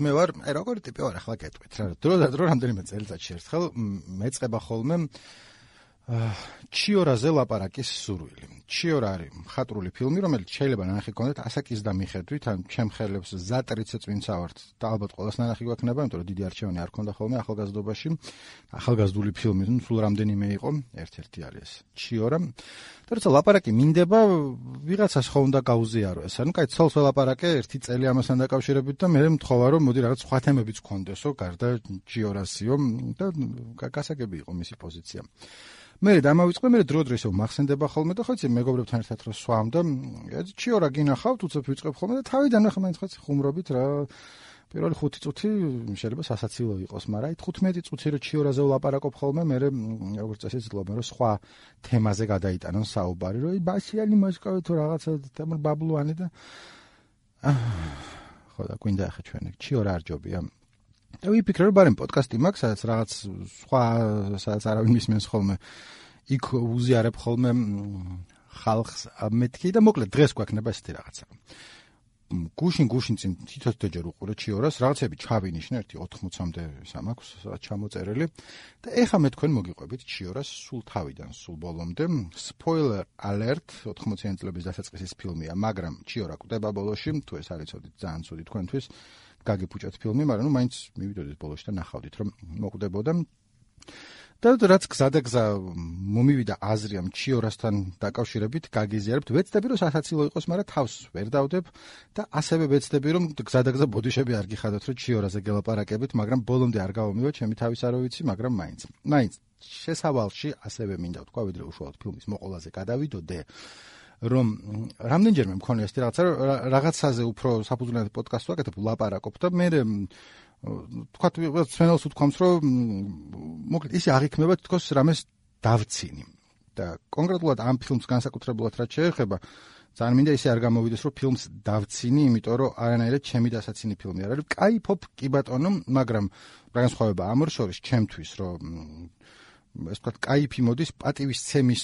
მე ვარ, როგორი ტიპი ვარ ახლა გეტყვით რა. დრო და დრო რამდენიმე წელიწადში ერთხელ მეწყება ხოლმე ჩიორაზე ლაპარაკის სურვილი. ჩიორა არის მხატვრული ფილმი, რომელიც შეიძლება ნანახი გქონდეთ ასაკის და მიხედვით, ან ჩემ ხელებს ზატრიცე წვინცა ვართ და ალბათ ყველას ნანახი გვექნება, იმიტომ რომ დიდი არჩევანი არ ქონდა ხოლმე ახალგაზრდობაში. ახალგაზრდული ფილმი, სულ რამდენიმე იყო, ერთ-ერთი არის ჩიორა. და როცა ლაპარაკი მინდება, ვიღაცას ხო უნდა გაუზიარო ეს. ანუ კაი, ცოლს ველაპარაკე ერთი წელი ამასთან დაკავშირებით და მე მთხოვა რომ მოდი რაღაც სხვა თემებიც გქონდესო, გარდა ჩიორასიო და გასაგები იყო მისი პოზიცია. მე დამავიწყე, მე დრო-დრო ისევ მახსენდება ხოლმე და ხო იცი მეგობრებთან ერთად რო სვამ და ჩიორა გინახავთ, უცებ ვიწყებ ხოლმე და თავიდან ახლა მაინც ხაც ხუმრობით რა. პირველი 5 წუთი შეიძლება სასაცილო იყოს, მაგრამ აი 15 წუთი რო ჩიორაზე ვლაპარაკობ ხოლმე, მე როგორც წესი ვცდილობ რომ სხვა თემაზე გადაიტანონ საუბარი, რომ ბასიანი მოსკოვი თუ რაღაცა თემურ ბაბლუანი და ხო და გვინდა ახლა ჩვენ ჩიორა არ ჯობია. და ვიფიქრე რომ ბარემ პოდკასტი მაქვს, სადაც რაღაც სხვა სადაც არავინ მისმენს ხოლმე, იქ უზიარებ ხოლმე ხალხს მეთქი და მოკლედ დღეს გვაქვს ესეთი რაღაცა. გუშინ წინ თითოჯერ უყურე ჩიორას, რაღაცები ჩავინიშნე, ერთი 80-მდე სამაქვს ჩამოწერილი და ეხა მე თქვენ მოგიყვებით ჩიორას სულ თავიდან, სულ ბოლომდე. Spoiler alert, 80-იანი წლების დასაწყისის ფილმია, მაგრამ ჩიორა კვდება ბოლოში, თუ ეს არის ცოდით ძალიან ცუდი თქვენთვის. გაგიფუჭეთ ფილმი, მაგრამ მაინც მივიდოდით ბოლოში და ნახავდით რომ მოკვდებოდა. და რაც გზადაგზა მომივიდა აზრი ამ ჩიორასთან დაკავშირებით, გაგიზიარებთ, ვეცდები რომ სასაცილო იყოს, მაგრამ თავს ვერ დავდებ და ასევე ვეცდები რომ გზადაგზა ბოდიშები არ გიხადოთ რომ ჩიორაზე გელაპარაკებით, მაგრამ ბოლომდე არ გავამივა, ჩემი თავის არ ვიცი, მაგრამ მაინც შესავალში ასევე მინდა ვთქვა, ვიდრე უშუალოდ ფილმის მოყოლაზე გადავიდოდე. რომ რამდენჯერმე მქონია ეს რაღაცაზე უფრო საფუძვლიანად პოდკასტს ვაკეთებ, ვლაპარაკობ და მე თქვათ სვენელს უთქვამს რომ მოკლედ ისე აღიქმება თქოს რამეს დავცინი და კონკრეტულად ამ ფილმს განსაკუთრებულად რაც შეეხება ძალიან მინდა ისე არ გამოვიდეს რომ ფილმს დავცინი, იმიტომ რომ არანაირად ჩემი დასაცინი ფილმი არ არის. კაიფობ კი ბატონო, მაგრამ განსხვავება ამ ორ შორის ჩემთვის რომ ეს ვთქვათ, კაიფი მოდის პატივისცემის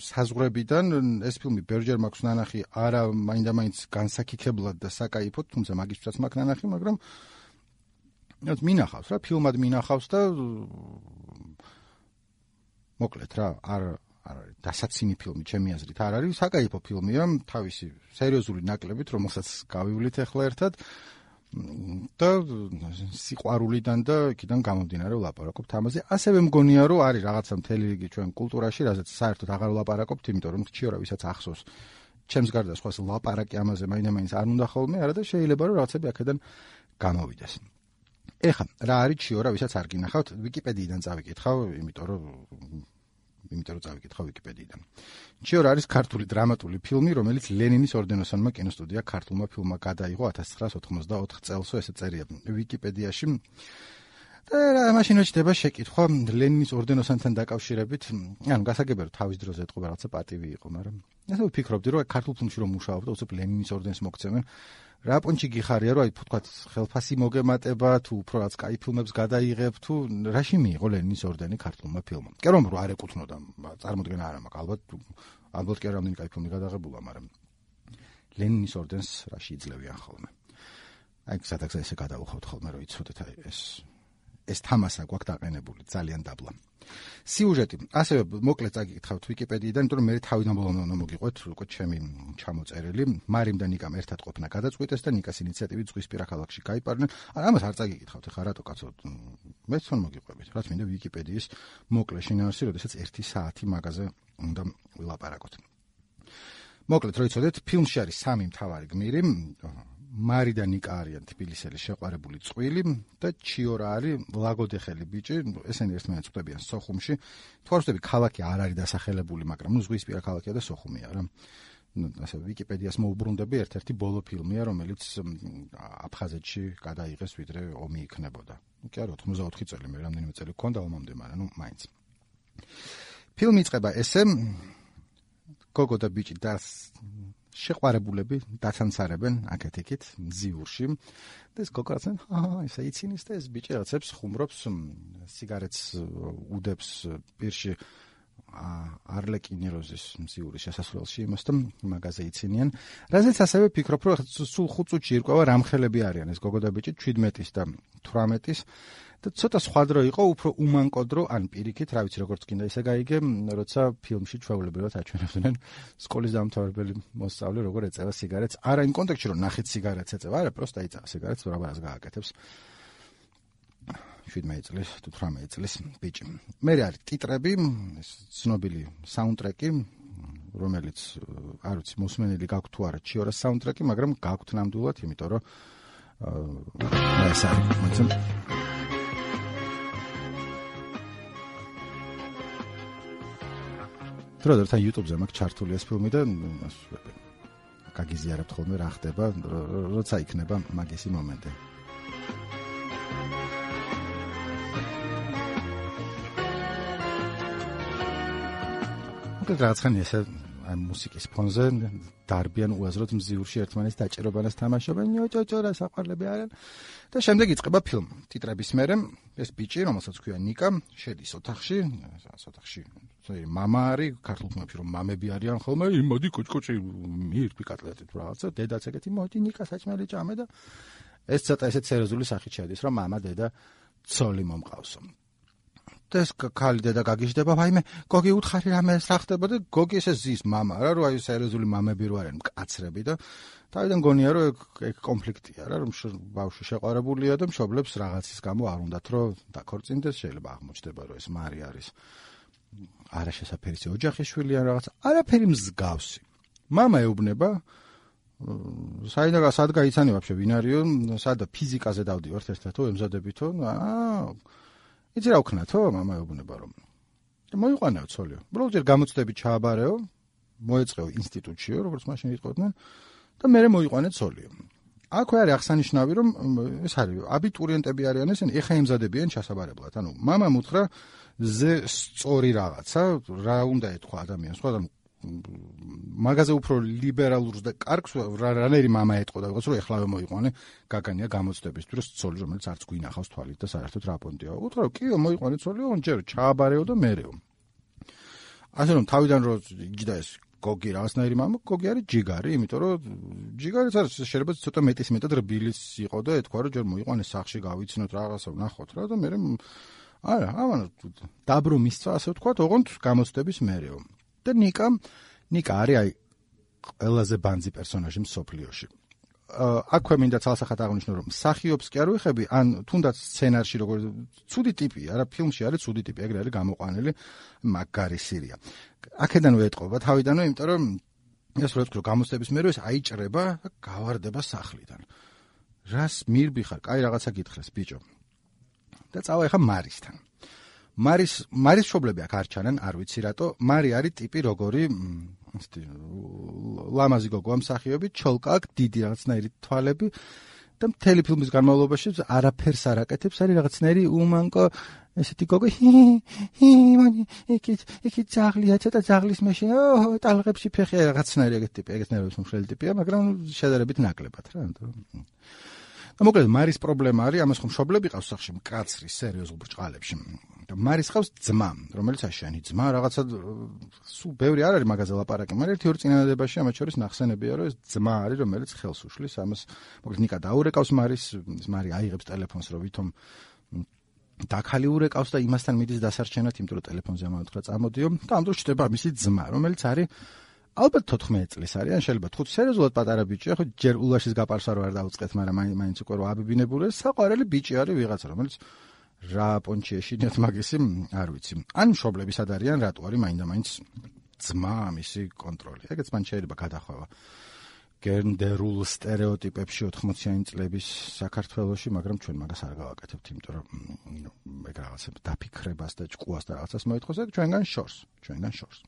საზღვრებიდან. ეს ფილმი ბევრჯერ მაქვს ნანახი, არა მაინდა-მაინც განსაკიქებლად და საკაიფოდ, თუმცა მაგისთვისაც მაქვს ნანახი, მაგრამ მინახავს რა, ფილმად მინახავს და მოკლედ რა, არ არის დასაცინი ფილმი ჩემი აზრით არ არის, საკაიფო ფილმია, თავისი სერიოზული ნაკლებით, რომელსაც გავივლით ახლა ერთად. და სიყვარულიდან და იქიდან გამომდინარე ვლაპარაკობთ ამაზე. ასევე მგონია რომ არის რაღაცა მთელი რიგი ჩვენ კულტურაში, რაზეც საერთოდ აღარ ვლაპარაკობთ, იმიტომ რომ ჩიორა ვისაც ახსოვს ჩემს გარდა სხვას ლაპარაკი ამაზე მაინდა-მაინც არ უნდა ხოლმე, არა და შეიძლება რომ რაღაცები აქედან გამოვიდეს. ეხლა რა არის ჩიორა, ვისაც არ გინახავთ, ვიკიპედიიდან წავიკითხავ, იმიტომ რომ წავიკითხავ ვიკიპედიიდან. ჩიორა არის ქართული დრამატული ფილმი, რომელიც ლენინის ორდენოსანმა კინოსტუდია ქართულმა ფილმმა გადაიღო 1994 წელსო, ესე წერია ვიკიპედიაში. და მაშინ ჩდება შეკითხვა ლენინის ორდენოსანთან დაკავშირებით, ანუ გასაგებია რომ თავის დროზე ეთყობა რაღაცა პატივი იყო, მაგრამ ასე ვფიქრობდი რომ ქართულ ფილმში რომ მუშაობ და უცებ ლენინის ორდენს მოგცემენ, რა პონჩი გიხარია რომ აი თქვათ ხელფასი მოგემატება თუ უფრო რაც კაი ფილმებს გადაიღებ თუ რაში მიიღო ლენინის ორდენი ქართულმა ფილმმა. კი რომ არ ეკუთვნოდა, წარმოდგენა არ მაქვს, ალბათ კი რამდენი კაი ფილმი გადაღებულა, მაგრამ ლენინის ორდენს რაში იძლევიან ხოლმე. აი სადაგზა ესე გადავუხავთ ხოლმე რომ იცოდეთ აი ეს თამასა გვაქვს დაყენებული ძალიან დაბლა. სიუჟეტი ასევე მოკლედ წაგიკითხავთ ვიკიპედიიდან, იმიტომ რომ მე თავიდან ბოლომდე უნდა მოგიყვეთ უკვე ჩემი ჩამოწერილი. მარიმ და ნიკამ ერთად ყოფნა გადაწყვიტეს და ნიკას ინიციატივით ზღვისპირა ქალაქში გაიპარნენ. ამას არ წაგიკითხავთ, ხა რატო კაცო? მეც თვითონ მოგიყვებით, რაც მინდა ვიკიპედიის მოკლე შინაარსი, როდესაც 1 საათი მაგაზე უნდა ვილაპარაკოთ. მოკლედ, რო იცოდეთ, ფილმში არის 3 მთავარი გმირი. მარი და ნიკა არიან თბილისელი შეყვარებული წყვილი და ჩიორა არის ლაგოდეხელი ბიჭი, ესენი ერთმანეთს ხვდებიან სოხუმში. თუ არ ვხვდები, ქალაქი არ არის დასახელებული, მაგრამ ზღვისპირა ქალაქია და სოხუმია რა. ასე ვიკიპედიას მოუბრუნდები, ერთ-ერთი ბოლო ფილმია, რომელიც აფხაზეთში გადაიღეს, ვიდრე ომი იქნებოდა. კი არა, 84 წელი, მე რამდენიმე წელი გქონდა ომამდე, მაგრამ მაინც. ფილმი იწყება ესე, გოგო და ბიჭი შეყვარებულები დაცანცარებენ აქეთ-იქით ზიურში და ეს გოგო რაცენ ისე იცინის და ეს ბიჭი რაღაცებს ხუმრობს, სიგარეტს უდებს პირში არლეკინი როზის მზიური შესასვლელში იმას და მაგაზე იცინიან. რაზეც ასევე ფიქრობ, რომ სულ 5 წუთში ირკვევა რამხელები არიან ეს გოგო და ბიჭი 17-ის და 18-ის და ცოტა სხვა დრო იყო, უფრო უმანკო დრო, ან პირიქით, რა ვიცი როგორც კიდე ისე გაიგე, როცა ფილმში ჩვეულებრივად აჩვენებდნენ სკოლის დამთავრებელი მოსწავლე როგორ ეწევა სიგარეტს. არა იმ კონტექსტში რომ ნახეთ სიგარეტს ეწევა, არა, პროსტა იწევა სიგარეტს, რაბარას გააკეთებს. 17 წლის თუ 18 წლის ბიჭი. მე არის ტიტრები, ცნობილი საუნდტრეკი, რომელიც არ ვიცი, მოსმენელი გაქვთ თუ არა ჩიორას საუნდტრეკი, მაგრამ გაქვთ ნამდვილად, იმიტომ რომ ეს არის დროდერთან YouTube-ზე მაქვს ჩართული ეს ფილმი და გაგიზიარებთ ხოლმე რა ხდება, როცა იქნება მაგისი მომენტი. რაღაცხანი ესე აი მუსიკის ფონზე დარბიან უაზროდ მზიურში ერთმანეთს დაჭერობანას თამაშობენ, ჭოჭო რა საყვარლები არიან და შემდეგ იწყება ფილმი. ტიტრების მერე ეს ბიჭი, რომელსაც ქვია ნიკა, შედის ოთახში, მამა არის, ქართულ ფილმებში რომ მამები არიან ხოლმე, მოდი კოჭკოჭი მირფი კატლეტით რაღაცა, დედაც ეგეთი მოდი ნიკა საჭმელი ჭამე და ეს ცოტა ესე სერიოზული სახით შედის, რომ მამა, დედა, ცოლი მომყავსო. ეს ქალი დედა გაგიჟდება, ვაიმე, გოგი უთხარი რამე რა ხდება და გოგი ესე ზის მამა რა, რომ აი სერიოზული მამები რო არიან მკაცრები და თავიდან გონია რომ ეგ კონფლიქტია რა, რომ ბავშვი შეყვარებულია და მშობლებს რაღაცის გამო არ უნდათ რომ დაქორწინდეს, შეიძლება აღმოჩნდება რომ ეს მარი არის არაშესაფერისი ოჯახის შვილი ან რაღაც, არაფერი მსგავსი. მამა ეუბნება სად გაიცანი ვაფშე ვინ არისო, სადა ფიზიკაზე დავდივართ ერთად, ემზადებითო, იცი რა ვქნათო, მამა ეუბნება რომ მოიყვანეო ცოლიო. უბრალოდ გამოცდები ჩააბარეო, მოეწყეო ინსტიტუტშიო, როგორც მაშინ იტყოდნენ და მერე მოიყვანე ცოლიო. აქვე არის აღსანიშნავი, რომ ეს არის აბიტურიენტები არიან ესენი, ეხა ემზადებიან ჩასაბარებლად. ანუ მამამ უთხრა ზე სწორი რაღაცა, რა უნდა ეთქვა ადამიანს, ხო, ანუ მაგაზე უფრო ლიბერალურს და კარგს რანერი მამა ეტყოდა, როგორც რომ ეხლავე მოიყვანე გაგანია გამოცდებისთვის ცოლი, რომელიც არც გვინახავს თვალით და საერთოდ რა პონტია. უთხრა რომ კიო მოიყვანე ცოლიო, ჯერ ჩააბარეო და მერეო. ასე რომ თავიდან რომ იჯდა ეს გოგი რაღაცნაირი მამა, გოგი არის ჯიგარი, იმიტომ რომ ჯიგარიც არის შეიძლება ცოტა მეტის მეტად რბილის იყო და ეთქვა რომ ჯერ მოიყვანე სახში გავიცნოთ რაღაცა ვნახოთ რა და მერე არა, ამან დაბრუნ მისცა ასე ვთქვათ, ოღონდ გამოცდების მერეო. და ნიკა არის აი ყველაზე ბანძი პერსონაჟი მსოფლიოში. აქვე მინდა ცალსახად აღნიშნო, რომ მსახიობს კი არ ვიხები, ან თუნდაც სცენარში როგორ ცუდი ტიპია, რა ფილმში არის ცუდი ტიპი, ეგრე არის გამოყვანილი, მაგარი სირია. აქედან ვეტყობა თავიდანვე, იმიტომ რომ ეს რო ვთქვი, გამოცდების მერე ეს აიჭრება და გავარდება სახლიდან. რას მირბი ხარ? კაი რაღაცა გითხრეს ბიჭო. და წავა ეხა მარისთან. მარის მშობლები აქ არ ჩანან, არ ვიცი რატო. მარი არის ტიპი როგორი ლამაზი გოგოა მსახიობი, ჩოლკა აქვს, დიდი რაღაცნაირი თვალები და მთელი ფილმის განმავლობაში არაფერს არ აკეთებს, არის რაღაცნაირი უმანკო ესეთი გოგო, მანი იქ ძაღლია, ცოტა ძაღლის მეშინ, ტალღებში ფეხი, რაღაცნაირი ეგეთი ტიპი, ეგეთნაირი მსმშელი ტიპია, მაგრამ შედარებით ნაკლებად რა. და მოკლედ მარის პრობლემა არის, ამას ხომ მშობლები ყავს სახში მკაცრი, სერიოზულ ბრჭყალებში. და მარის ყავს ძმა, რომელიც აშიანი ძმა, რაღაცა სულ ბევრი არ არის მაგაზე ლაპარაკი, მაგრამ ერთი-ორი წინადადებაში ამათ შორის ნახსენებია, რომ ეს ძმა არის, რომელიც ხელს უშლის, ამას მოკლედ ნიკა დაურეკავს მარის, მარი აიღებს ტელეფონს, რომ ვითომ დაქალი ურეკავს და იმასთან მიდის დასარჩენად, იმიტომ რომ ტელეფონზე ამავთხრა წამოდიო და ამ დროს ჩდება მისი ძმა, რომელიც არის ალბათ 14 წლის არის, ან შეიძლება 5 სერიოზულად პატარა ბიჭია, ხო ჯერ ულაშის გაპარს არ დაუწყეთ, მაგრამ მაინც უკვე რო აბიბინებული, საყვარელი ბიჭი არის ვიღაცა, რომელიც რა პონჩი ეშინიათ მაგისი, არ ვიცი. ან მშობლები სად არიან, რატო არის მაინდა-მაინც ძმა მისი კონტროლი. ეგეც მან შეიძლება გადახვევა გენდერულ სტერეოტიპებში 80-იანი წლების საქართველოში, მაგრამ ჩვენ მაგას არ გავაკეთებთ, იმიტომ რომ ეგ რაღაცებს დაფიქრებას და ჭკუას და რაღაცას მოითხოვს, ეგ ჩვენგან შორს.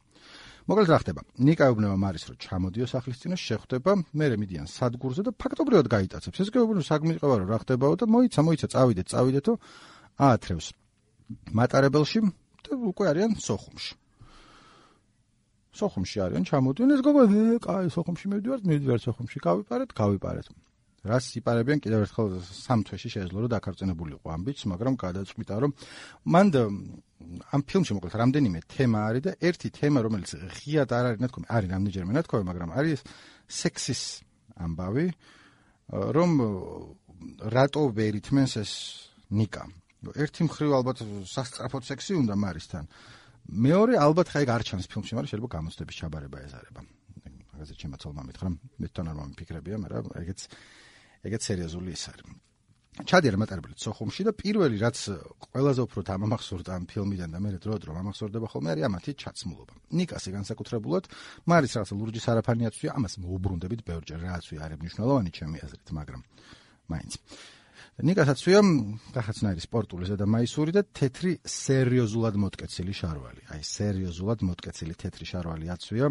მოკლედ რა ხდება? ნიკა ეუბნება მარის, რომ ჩამოდიო სახლის წინაშე, შეხვდება, მერე მიდიან სადგურზე და ფაქტობრივად გაიტაცებს. ეს გეუბნება საგმიყვა რომ რა ხდებაო და მოიცა, წავიდეთო, აათრევს მატარებელში და უკვე არიან სოხუმში. სოხუმში არიან, ჩამოდიან, ეს გოგო, კაი, სოხუმში მივდივართ, სოხუმში გავიპარეთ. რას იპარებიან კიდევ ერთხელ 3 თვეში შეეძლო რომ დაქორწინებულიყო ამბიც, მაგრამ გადაწყვიტა რომ მან ამ ფილმში მოკლედ რამდენიმე თემა არის და ერთი თემა რომელიც ღიად არ არის ნათქვამი, არის რამდენჯერმე ნათქვამი, მაგრამ არის სექსის ამბავი, რომ რატო ვერ ითმენს ეს ნიკა. ერთი მხრივ ალბათ სასწრაფოდ სექსი უნდა მარისთან. მეორე ალბათ ხაიგ არ ჩანს ფილმში, მაგრამ შეიძლება გამოცდების ჩაბარება ეზარება. მაგაზე ჩემაც ოლმა მითხრა, მე თან არ მომიფიქრებია, მაგრამ ეგეც სერიოზული ის არის. ჩადიარა მატარებლით სოხუმში და პირველი რაც ყველაზე უფრო დამამახსოვრდა ამ ფილმიდან და მე დრო მომახსოვრდება ხოლმე არის ამათი ჩაცმულობა. ნიკასი განსაკუთრებულად მარის რაღაცა ლურჯი სარაფანი აწვია, ამას მოუბრუნდებით ბევრჯერ, რაც არის მნიშვნელოვანი ჩემი აზრით, მაგრამ მაინც. ნიკასაც ვია რაღაცნაირი სპორტული ზედამაისური და თეთრი სერიოზულად მოტკეცილი შარვალი. აი სერიოზულად მოტკეცილი თეთრი შარვალი აწვია.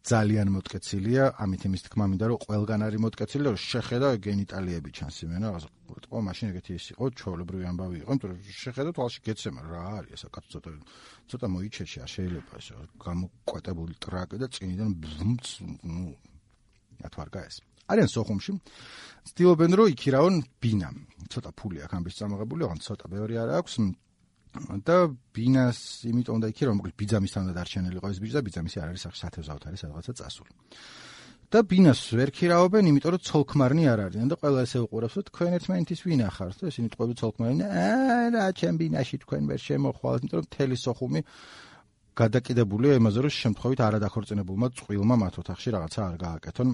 ძალიან მოტკეცილია, ამით იმის თქმა მინდა რომ ყველგან არის მოტკეცილი და შეხედა გენიტალიები ჩანს იმენა, ყო მაშინ ეგეთი ის იყო, ჩვეულებრივი ამბავი იყო, იმიტომ რომ შეხედა თვალში გეცემა რა არის ესა კაცო ცოტა მოიჩეში, არ შეიძლება ეს გამოკვეტებული ტრაკი და წინიდან ბლუმც, ათვარგა ეს. არიან სოხუმში, ცდილობენ რომ იქირავონ ბინა. ცოტა ფული აქვს ამბის წამოღებული, ოღონდ ცოტა ბევრი არ აქვს. და ბინას იმიტომ უნდა იქირავო, მოკლედ ბიძამისთან უნდა დარჩენილიყო ეს ბიჭი და ბიძამისი არ არის სახში სათევზაოდ არის სადღაცა წასული. და ბინას ვერ ქირავობენ, იმიტომ რომ ცოლქმარნი არ არიან და ყველა ესე უყურებს, რომ თქვენ ერთმანეთის ვინ ახართ და ისინი ტყვები ცოლქმარნი, რა ჩემ ბინაში თქვენ ვერ შემოხვალთ, იმიტომ რომ მთელი სოხუმი გადაკიდებულია იმაზე, რომ შემთხვევით არადაქორწინებულმა წყვილმა მათ ოთახში რაღაცა არ გააკეთონ.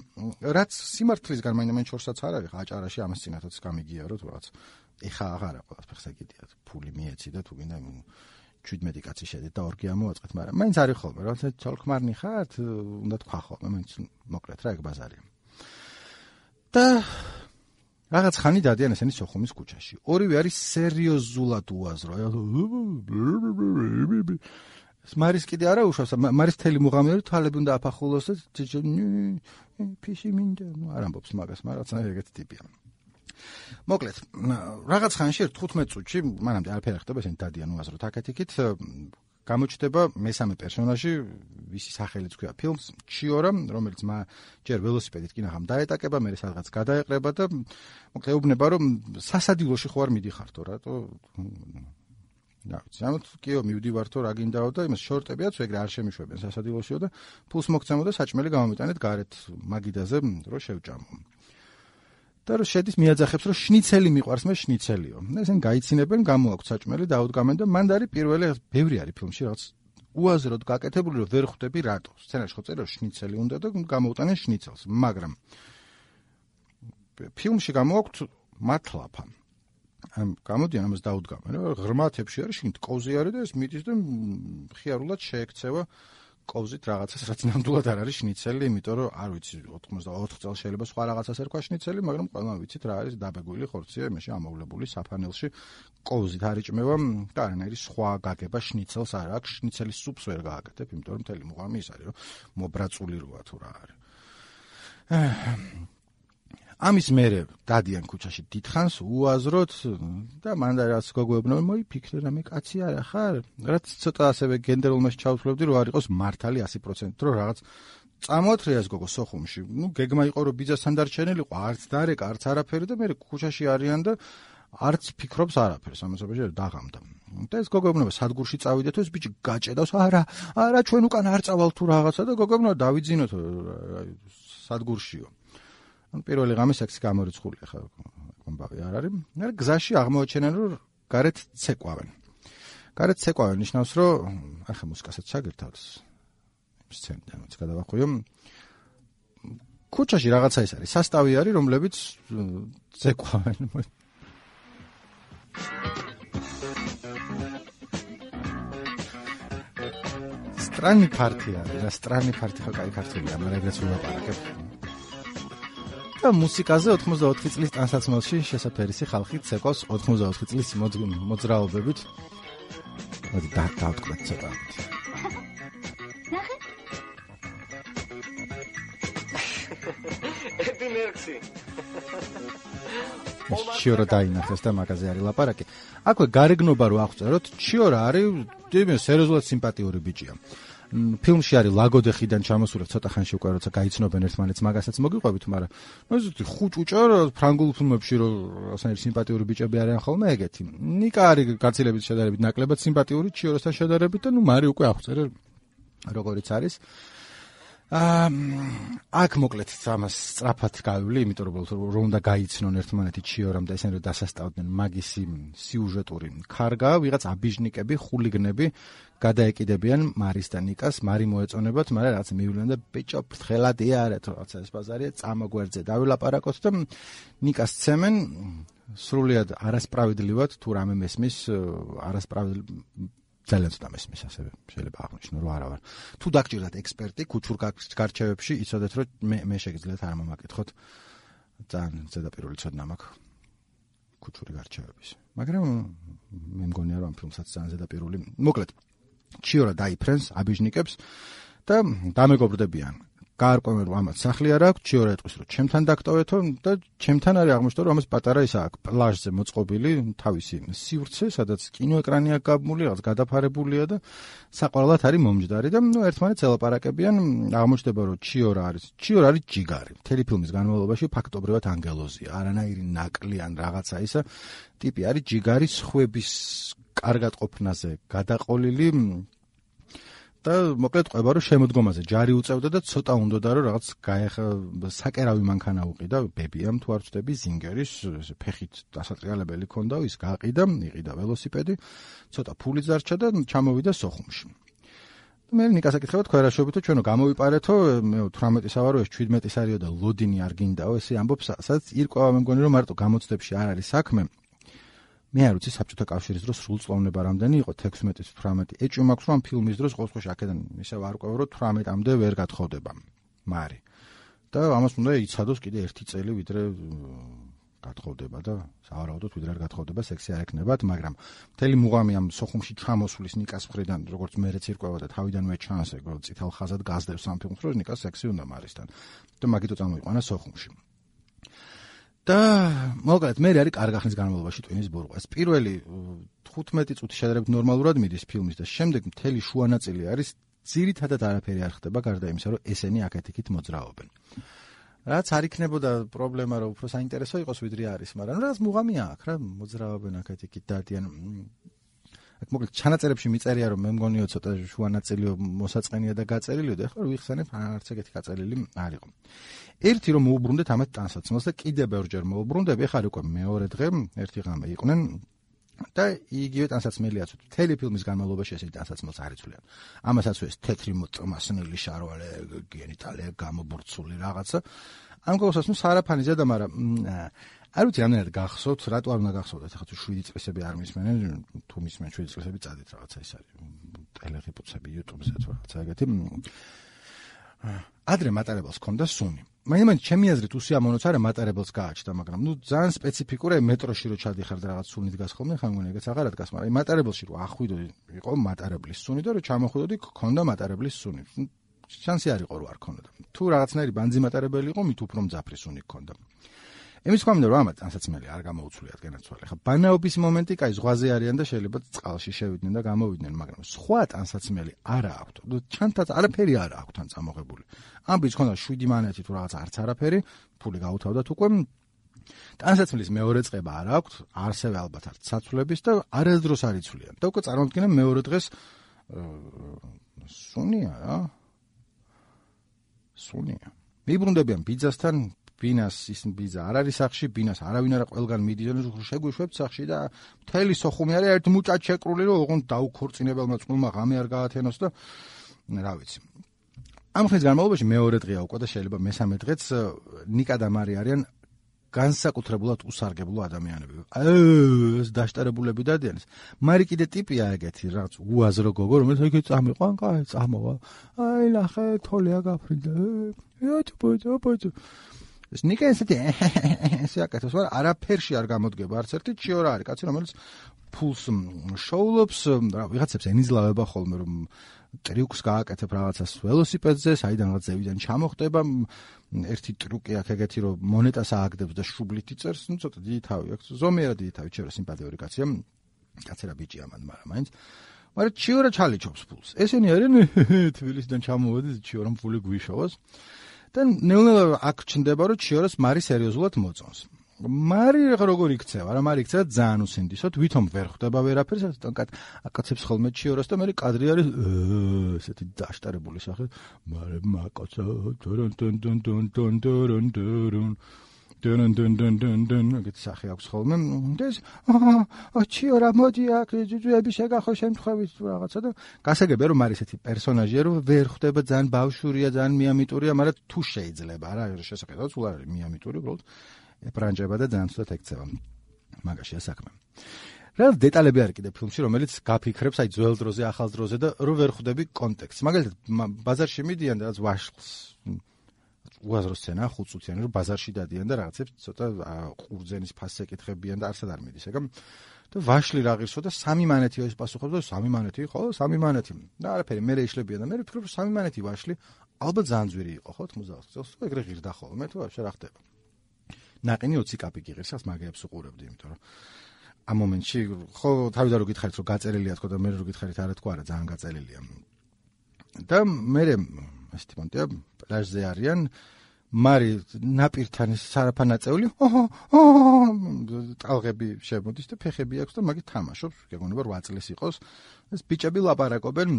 რაც სიმართლისგან მაინც შორსაც არ არის, აჭარაში ამას წინათაც გამიგია, რომ რაღაც ეხა აღარა ყველაფერს ეგეთია, ფული მიეცი და თუ გინდა 17 კაცი შედით და ორგი ამოაწყეთ, მაგრამ მაინც არის ხოლმე, რაღაცა ცოლქმარნი ხართ, უნდა თქვა ხოლმე, მაინც მოკლედ რა ეგ ბაზარია. და რაღაც ხანი დადიან ესენი სოხუმის ქუჩაში. ორივე არის სერიოზულად უაზრო. მარის კიდე არა უშავს, მარის თელი მუღამი თვალები უნდა აფახულოს და ფიში მინდა, არ ამბობს მაგას, მაგრამ რაღაცა ეგეთი ტიპია. მოკლედ, რაღაც ხანში 15 წუთში, მანამდე არაფერი არ ხდება, ესენი დადიან უაზროდ აქეთ-იქით, გამოჩნდება მესამე პერსონაჟი, ვისი სახელიც ქვია ფილმს, ჩიორა, რომელიც ჯერ ველოსიპედით კინაღამ დაეტაკება, მერე სადღაც გადაეყრება და მოკლედ ეუბნება, რომ სასადილოში ხო არ მიდიხართო, რატო რა ვიცი, ამათ კიო მივდივარ თო რა გინდაო და იმას შორტებიაც ეგრე არ შემიშვებენ სასადილოშიო და ფულს მოგცემო და საჭმელი გამომიტანეთ გარეთ მაგიდაზე რომ შევჭამო. და რომ შედის მიაძახებს რომ შნიცელი მიყვარს, მე შნიცელიო. ესენ გაიცინებენ, გამოაქვთ საჭმელი, დაუდგამენ და მან არის პირველი ბევრი არის ფილმში რაღაც უაზროდ გაკეთებული რომ ვერ ხვდები რატო. სცენარში ხო წერია შნიცელი უნდა და გამოუტანენ შნიცელს, მაგრამ ფილმში გამოაქვთ მათლაფა. გამოდიან ამას დაუდგამენ, ღრმათებში არის შინთ კოვზი არის და ეს მიდის და ხიარულად შეექცევა კოვზით რაღაცას, რაც ნამდვილად არ არის შნიცელი, იმიტომ რომ არ ვიცი 84 წელს შეიძლება სხვა რაღაცას ერქვა შნიცელი, მაგრამ ყველამ ვიცით რა არის დაბეგული ხორცია, იმაში ამოვლებული საფანელში კოვზით არიჭმევა და არანაირი სხვა გაგება შნიცელს არ აქვს, შნიცელის სუპს ვერ გააკეთებ, იმიტომ რომ მთელი მუღამი ის არის, რომ მობრაწული როა თუ რა არის. ამის მერე დადიან ქუჩაში დიდხანს უაზროდ და მან რაც გოგოებნო მოიფიქრე რამე კაცი არა ხარ? რაც ცოტა ასევე გენდერულმეს ჩავთვლებდი რომ არ იყოს მართალი 100% რომ რაღაც წამოათრიას გოგო სოხუმში. გეგმა იყო რომ ბიძასთან დარჩენილიყო, არც დარეკა, არც არაფერი და მე ქუჩაში არიან და არც ფიქრობს არაფერს, ამასობაში დაღამდა. და ეს გოგოებნო სადგურში წავიდეთ, ეს ბიჭი გაჭედავს, არა ჩვენ უკან არ წავალ თუ რაღაცა და გოგოებნო დავიძინოთ სადგურშიო. პირველი ღამე სექსი გამორიცხული ხა ამბავი არ არის. მაგრამ გზაში აღმოაჩენენ რომ გარეთ ცეკვავენ. გარეთ ცეკვავენ ნიშნავს რომ ახლა მუსიკასაც ჩაგერთავთ. სცენიდანაც გადავახვიო. ქუჩაში რაღაცა ის არის, სასტავი არის, რომლებიც ცეკვავენ. სტრანი პარტია, რა სტრანი პარტია ხო კაი ქართულია, მაგრამ ეგრეც ვლაპარაკებ. და მუსიკაზე 84 წლის ტანსაცმელში შესაფერისი ხალხი ცეკვავს 84 წლის მოძრაობებით. მოდი დავთქვათ ცოტა. ედინერქსი. ჩიორა დაინახეს და მაგაზე არის ლაპარაკი. აქვე გარეგნობა რო აღწეროთ, ჩიორა არის სერიოზულად სიმპათიური ბიჭია. ფილმში არის ლაგოდეხიდან ჩამოსული ცოტა ხანში უკვე როცა გაიცნობენ ერთმანეთს მაგასაც მოგიყვებით, მაგრამ ესეთი ხუჭუჭა ფრანგულ ფილმებში რომ ასეთი სიმპათიური ბიჭები არიან ხოლმე ეგეთი. ნიკა არის გაცილებით შედარებით ნაკლებად სიმპათიური ჩიოროსთან შედარებით და მარი უკვე აღწერე როგორიც არის. აქ მოკლედ ამას სწრაფად გავივლი, იმიტომ რომ უნდა გაიცნონ ერთმანეთი ჩიორამ და ესენი რომ დასასტავდნენ მაგისი სიუჟეტური ქარგა, ვიღაც აბიჟნიკები, ხულიგნები გადაეკიდებიან მარის და ნიკას, მარი მოეწონებათ, მაგრამ რაღაც მივლენ და ბიჭო ფრთხელად იარეთ, რაღაცა ეს ბაზარია, წამოგვერძე დავილაპარაკოთ და ნიკას ცემენ სრულიად არასправედლივად თუ რამე მესმის, ძალიან ცოტა მესმის ასევე შეიძლება აღნიშნო რომ არა ვარ. თუ დაგჭირდათ ექსპერტი ქუჩურ გარჩევებში, იცოდეთ რომ მე შეგიძლიათ არ მომაკითხოთ. ძალიან ზედაპირული ცოდნა მაქვს ქუჩური გარჩევების. მაგრამ მე მგონია რომ ამ ფილმსაც ძალიან ზედაპირული. მოკლედ ჩიორა დაიფრენს აბიჟნიკებს და დამეგობრდებიან. გაარკვევენ რომ ამათ სახლი არ აქვს, ჩიორა ეტყვის რომ ჩემთან დაგტოვეთო და ჩემთან არის აღმოჩნდა რომ ამას პატარა ისა აქვს პლაჟზე მოწყობილი თავისი სივრცე, სადაც კინოეკრანი აქვს გაბმული, რაღაც გადაფარებულია და საყოველთაოდ არის მომჯდარი და ერთმანეთს ელაპარაკებიან, აღმოჩნდება რომ ჩიორა არის ჯიგარი. მთელი ფილმის განმავლობაში ფაქტობრივად ანგელოზია, არანაირი ნაკლი ან რაღაცა ისა ტიპი არის ჯიგარი, სხვების კარგად ყოფნაზე გადაყოლილი და მოკლედ ყვება რომ შემოდგომაზე ჯარი უწევდა და ცოტა უნდოდა რომ რაღაც საკერავი მანქანა უყიდა, ბებიამ თუ არ ვწდები, ზინგერის ფეხით დასატრიალებელი ქონდა, ის გაყიდა, იყიდა ველოსიპედი, ცოტა ფული დარჩა და ჩამოვიდა სოხუმში. მე ნიკას აკითხება თქვენაშობითო ჩვენო გამოვიპარეთო, მე 18-ის ავარო, ეს 17-ის არისო და ლოდინი არ გინდაო, ესე ამბობს, სადაც ირკვევა მე მგონი რომ მარტო გამოცდებში არ არის საქმე. მე არ ვიცი საბჭოთა კავშირის დროს სრულწლოვნება რამდენი იყო 16-18. ეჭვი მაქვს რომ ფილმის დროს ყოველ შემთხვევაში აქედან ისე ვარკვევ რომ 18-მდე ვერ გათხოვდება მარი. და ამას უნდა იცადოს კიდე 1 წელი ვიდრე გათხოვდება და სავარაუდოდ ვიდრე არ გათხოვდება სექსი არ ეკნებათ, მაგრამ მთელი მუღამი ამ სოხუმში ჩამოსulis ნიკას მხრიდან როგორც მეც ირკვევა და თავიდანვე ჩანს ეგ წითელ ხაზად გაზდებს ამ ფილმს რომ ნიკას სექსი უნდა მარისთან. და მაგითო წამოიყვანა სოხუმში. და მოკლედ მე არის კარგი ხნის განმავლობაში ტვინის ბურღვა. ეს პირველი 15 წუთი შედარებით ნორმალურად მიდის ფილმის და შემდეგ მთელი შუა ნაწილი არის ძირითადად არაფერი არ ხდება გარდა იმისა, რომ ესენი აქეთ-იქით მოძრაობენ. რაც არ იქნებოდა პრობლემა, რომ უფრო საინტერესო იყოს ვიდრე არის, მაგრამ რაღაც მუღამია აქვს რა, მოძრაობენ აქეთ-იქით დადიან. აქ მოკლედ ჩანაწერებში მიწერია რომ მე მგონიო ცოტა შუა ნაწილი მოსაწყენია და გაწერილია და ეხლა ვიხსენებ არც ეგეთი გაწერილი არ იყო. ერთი რომ მოუბრუნდეთ ამათ ტანსაცმელს და კიდე ბევრჯერ მოუბრუნდები, ეხლა უკვე მეორე დღე ერთი ღამე იყვნენ და იგივე ტანსაცმელიაც მთელი ფილმის განმავლობაში ესეთი ტანსაცმელს არ იცვლიან. ამასაც ეს თეთრი მოწმასნილი შარვალე გენიტალია გამობურცული რაღაცა. ამ ყოველსასმის არაფანიზე და მაგრამ არ ვიცი რამდენად გახსოვთ, რატო არ უნდა გახსოვდეთ, ახლა თუ 7 წლისები არ მისმენენ, თუ მისმენ 7 წლისები წადით რაღაცა ის არის. ტელეღიპუცები YouTube-ზე თუ რაღაცა ეგეთი. ადრე მატარებელს ჰქონდა სუნი. მაინც ჩემი აზრით უსიამოვნოც არა მატარებელს გააჩნდა, მაგრამ ძალიან სპეციფიკურია მეტროში რო ჩადიხარ და რაღაც სუნით გას ხოლმე, ხან მგონი ეგეც აღარ ადგას, მაგრამ მატარებელში რო ახვიდოდი, იყო მატარებლის სუნი და რო ჩამოხვიდოდი, ჰქონდა მატარებლის სუნი. შანსი არ იყო რომ არ ქონოდა. თუ რაღაცნაირი ბანძი მატარებელი იყო, მით უფრო მძაფრი სუნი ჰქონდა. იმის გამო რომ ამათ ტანსაცმელი არ გამოუცვლიათ განაცვალე. ხა ბანაობის მომენტი, კაი, ზღვაზე არიან და შეიძლება წყალში შევიდნენ და გამოვიდნენ, მაგრამ სხვა ტანსაცმელი არ აქვთ. ჩანთაც არაფერი არ აქვთ თან წამოღებული. ამბიც ხონდა 7 მანეთი თუ რაღაც არც არაფერი, ფული გაუთავდათ უკვე. ტანსაცმლის მეორე წება არ აქვთ, არსებე ალბათ არც საცვლების და არასდროს არ იცვლიან. და უკვე წარმოვიდგინე მეორე დღეს სუნია რა. სუნია. მიბრუნდებიან ბიძასთან ბინას ის ბიძა არ არის სახში, ბინას არავინ არა ყველგან მიდიან, შეგვიშვებთ სახში და მთელი სოხუმი არის ერთ მუჭად შეკრული, რომ ოღონდ დაუქორწინებელმა წყვილმა ღამე არ გაათენოს და რა ვიცი. ამ ხნის განმავლობაში მეორე დღეა უკვე და შეიძლება მესამე დღეც ნიკა და მარი არიან განსაკუთრებულად უსარგებლო ადამიანები. ეს დაშტერებულები დადიან. მარი კიდე ტიპია ეგეთი, რაღაც უაზრო გოგო, რომელიც ეგ წამიყვან, კაი, წამოვა. აი, ნახე, თოლია გაფრინდა. ეტ. ეს ნიკა ესეთი ესე აკეთებს, მაგრამ არაფერში არ გამოდგება არც ერთი ჩიორა არის, კაცი რომელიც ფულს შოულობს, რა ვიღაცებს ენიზლავება ხოლმე რომ ტრიუკს გააკეთებ რაღაცას ველოსიპედზე, საიდან რაღაც ზევიდან ჩამოხდება, ერთი ტრიუკი აქვს ეგეთი რომ მონეტას ააგდებს და შუბლით იწერს, ну ცოტა დიდი თავი აქვს, ზომიერად დიდი თავი, ჩიორა სიმპათიური კაცია, კაცერა ბიჭია მან, მაგრამ მაინც მაგრამ ჩიორა ჩალიჩობს ფულს. ესენი არიან თბილისიდან ჩამოვედი ჩიორამ ფული გვიშოვოს. და ნელ-ნელა აქ ჩნდება რომ ჩიორას მარი სერიოზულად მოწონს. მარი როგორ იქცევა? რა მარი იქცევა ძალიან უსინდისოდ, ვითომ ვერ ხვდება ვერაფერს, აკაცებს ხოლმე ჩიორას და მე კადრი არის ესეთი დაშტარებული სახე. მარე მაკოცა დონ ეგეთ სახე აქვს ხოლმე. ეს ჩიორა მოდი აქ ძუძუები შეგახო შემთხვევით რაღაცა და გასაგებია რომ მარი ესეთი პერსონაჟია რომ ვერ ხვდება ძალიან ბავშვურია, ძალიან მიამიტურია, მაგრამ თუ შეიძლება რა შესაძლოა სულ არის მიამიტური უბრალოდ ებრანჯება და ძალიან ცუდად ექცევა. მაგაშია საქმე. რა დეტალები არის კიდე ფილმში, რომელიც გაფიქრებს აი ძველ დროზე, ახალ დროზე და რო ვერ ხვდები კონტექსტს. მაგალითად, ბაზარში მიდიან და რაც ვაშლს უაზრო სცენა, 5 წუთიანი, რომ ბაზარში დადიან და რაღაცებს ცოტა ყურძენის ფასს ეკითხებიან და არცად არ მიდის, ეგა. და ვაშლი რა ღირსო და 3 მანეთი ის პასუხობს და 3 მანეთი, ხო, 3 მანეთი. და არაფერი, მე ეშლებიან და მე ვფიქრობ, რომ 3 მანეთი ვაშლი ალბათ ძალიან ძვირი იყო, ხო, 90 წელს. ეგრე ღირდა ხოლმე, თუ ვაფშე რა ხდება. ნაყინი 20 კაპიკი ღირსას მაგეებს უყურებდი, იმიტომ რომ ამ მომენტში ხო თავიდან რო გითხარით რომ გაწერილია თქო და მე რო გითხარით არა თქო არა ძალიან გაწერილია. და მე ესეთი მომენტია პლაჟზე არიან მარი ნაპირთან სარაფანაწეული ტალღები შემოდის და ფეხები აქვს და მაგით თამაშობს გეგონება 8 წლის იყოს ეს ბიჭები ლაპარაკობენ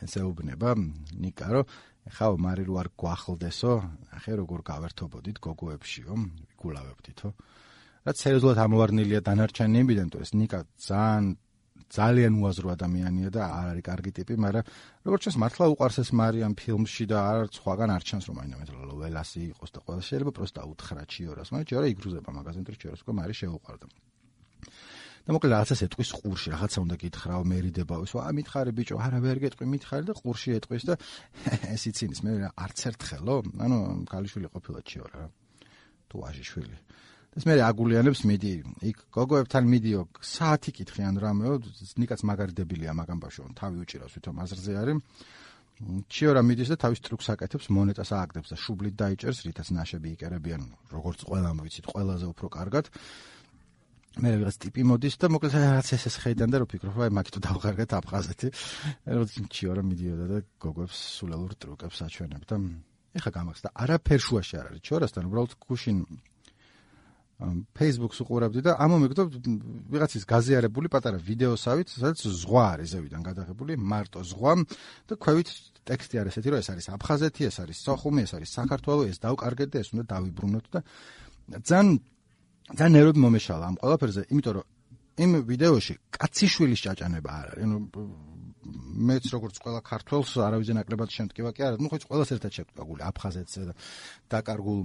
ესეუბნება ნიკა რომ ეხლა მარი რო არ გვახლდესო ახე როგორ გავერთობოდით გოგოებშიო ვიგულავებდითო რაც სერიოზულად ამოვარნილია დანარჩენებიდან თუ ეს ნიკა ძალიან უაზრო ადამიანია და არ არის კარგი ტიპი, მაგრამ როგორც ჩანს მართლა უყვარს ეს მარი ამ ფილმში და არ სხვაგან არ ჩანს რომ აინდა ველასი იყოს და ყველა შეიძლება პროსტა უთხრა ჩიორას, მაგრამ ჩიორა იგრუზება მაგაზინ თუ ჩიორას უკვე მარი შეუყვარდა. და მოკლედ რაღაცას ეტყვის ყურში, რაღაცა უნდა გითხრაო, მერიდებაო, მითხარი ბიჭო, არა ვერ გეტყვი, მითხარი და ყურში ეტყვის და ეს ცინის მე არც ერთხელო, ანუ ქალიშვილი ყოფილა ჩიორა რა. თუ ვაჟიშვილი. ეს მე აგულიანებს მიდი, იქ გოგოებთან მიდიო, საათი კითხიან რამეო, ნიკაც მაგარი დებილია მაგამ ბავშვო, თავი უჭირავს ვითომ აზრზე არის. ჩიორა მიდის და თავის ტრუქს აკეთებს, მონეტას ააგდებს და შუბლით დაიჭერს, რითაც ნაშები იკერებიან, როგორც ყველამ ვიცით, ყველაზე უფრო კარგად. მე რაღაც ტიპი მოდის და მოკლედ რაღაც ეს ხედან და რო ფიქრობ, აი მაგით დავღარგეთ აფხაზეთი. როდის ჩიორა მიდიოდა და გოგოებს სულელურ ტრუკებს აჩვენებდა. ეხა გამახსდა, არაფერ შუაში არ არის ჩიორასთან, უბრალოდ გუშინ Facebook-ს უყურებდი და ამ მომიგდო ვიღაცის გაზიარებული პატარა ვიდეოსავით, სადაც ზღვა არის ზევიდან გადაღებული, მარტო ზღვა და ქვევით ტექსტი არის ესეთი, რომ ეს არის აფხაზეთი, ეს არის სოხუმი, ეს არის საქართველო, ეს დავკარგეთ და ეს უნდა დავიბრუნოთ და ძალიან ნერვები მომეშალა ამ ყველაფერზე, იმიტომ რომ იმ ვიდეოში კაციშვილის ჭაჭანება არ არის. ანუ მეც როგორც ყველა ქართველს არავის ნაკლებად შემტკივა კი არა, ნუ ხო ყველას ერთად შევტკაგული აფხაზეთზე და დაკარგულ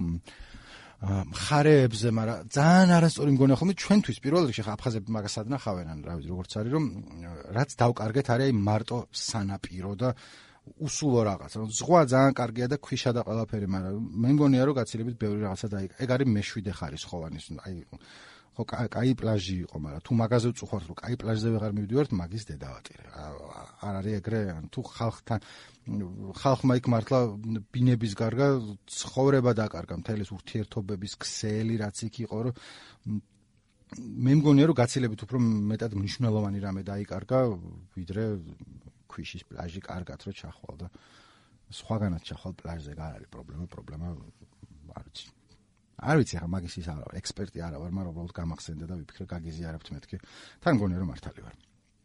მხარეებზე, მაგრამ ძალიან არასწორი მგონია ხოლმე ჩვენთვის პირველ რიგში ხა აფხაზები მაგას ადნახავენ, ან რა ვიცი როგორც არის რომ რაც დავკარგეთ არის მარტო სანაპირო და უსულო რაღაც. ზღვა ძალიან კარგია და ქვიშა და ყველაფერი, მაგრამ მე მგონია რომ გაცილებით ბევრი რაღაცა დაიკარგა. ეგ არის მე-7 ხარისხოვანის, აი ხო კაი პლაჟი იყო, მაგრამ თუ მაგაზე ვწუხართ რომ კაი პლაჟზე ვეღარ მივდივართ, მაგის დედავატირე. არ არის ეგრე, თუ ხალხთან ხალხმა იქ მართლა ბინების გარდა ცხოვრება დაკარგა, მთელის ურთიერთობების ქსელი რაც იქ იყო, რომ მე მგონია რომ გაცილებით უფრო მეტად მნიშვნელოვანი რამე დაიკარგა, ვიდრე ქვიშის პლაჟი კარგად რო ჩახვალ და სხვაგანაც ჩახვალ პლაჟზე არ არის პრობლემა არ ვიცი. არ ვიცი ახლა მაგის ის არა, ექსპერტი არა ვარ, მაგრამ უბრალოდ გამახსენდა და ვიფიქრე გაგიზიარებთ მეთქი. თან მგონია რომ მართალი ვარ.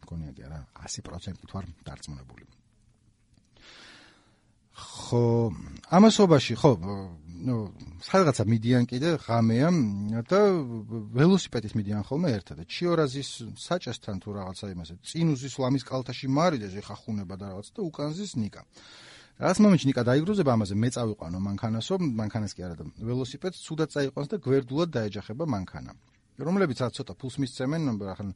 მგონია კი არა 100%-ით ვარ დარწმუნებული. ხო, ამასობაში ხო, სადღაცა მიდიან კიდე ღამეა და ველოსიპედით მიდიან ხოლმე ერთად და ჩიორაზის საჭესთან თუ რაღაცა იმასე წინუზის ლამის კალთაში მარიდეს ეხა ხუნება და რაღაც და უკანზის ნიკა. რაც მომენტში ნიკა დაიგრუზება ამაზე მე წავიყვანო მანქანასო, მანქანას კი არა და ველოსიპედს ცუდად წაიყვანს და გვერდულად დაეჯახება მანქანა. რომლებიც რაც ცოტა ფულს მისცემენ, ახლა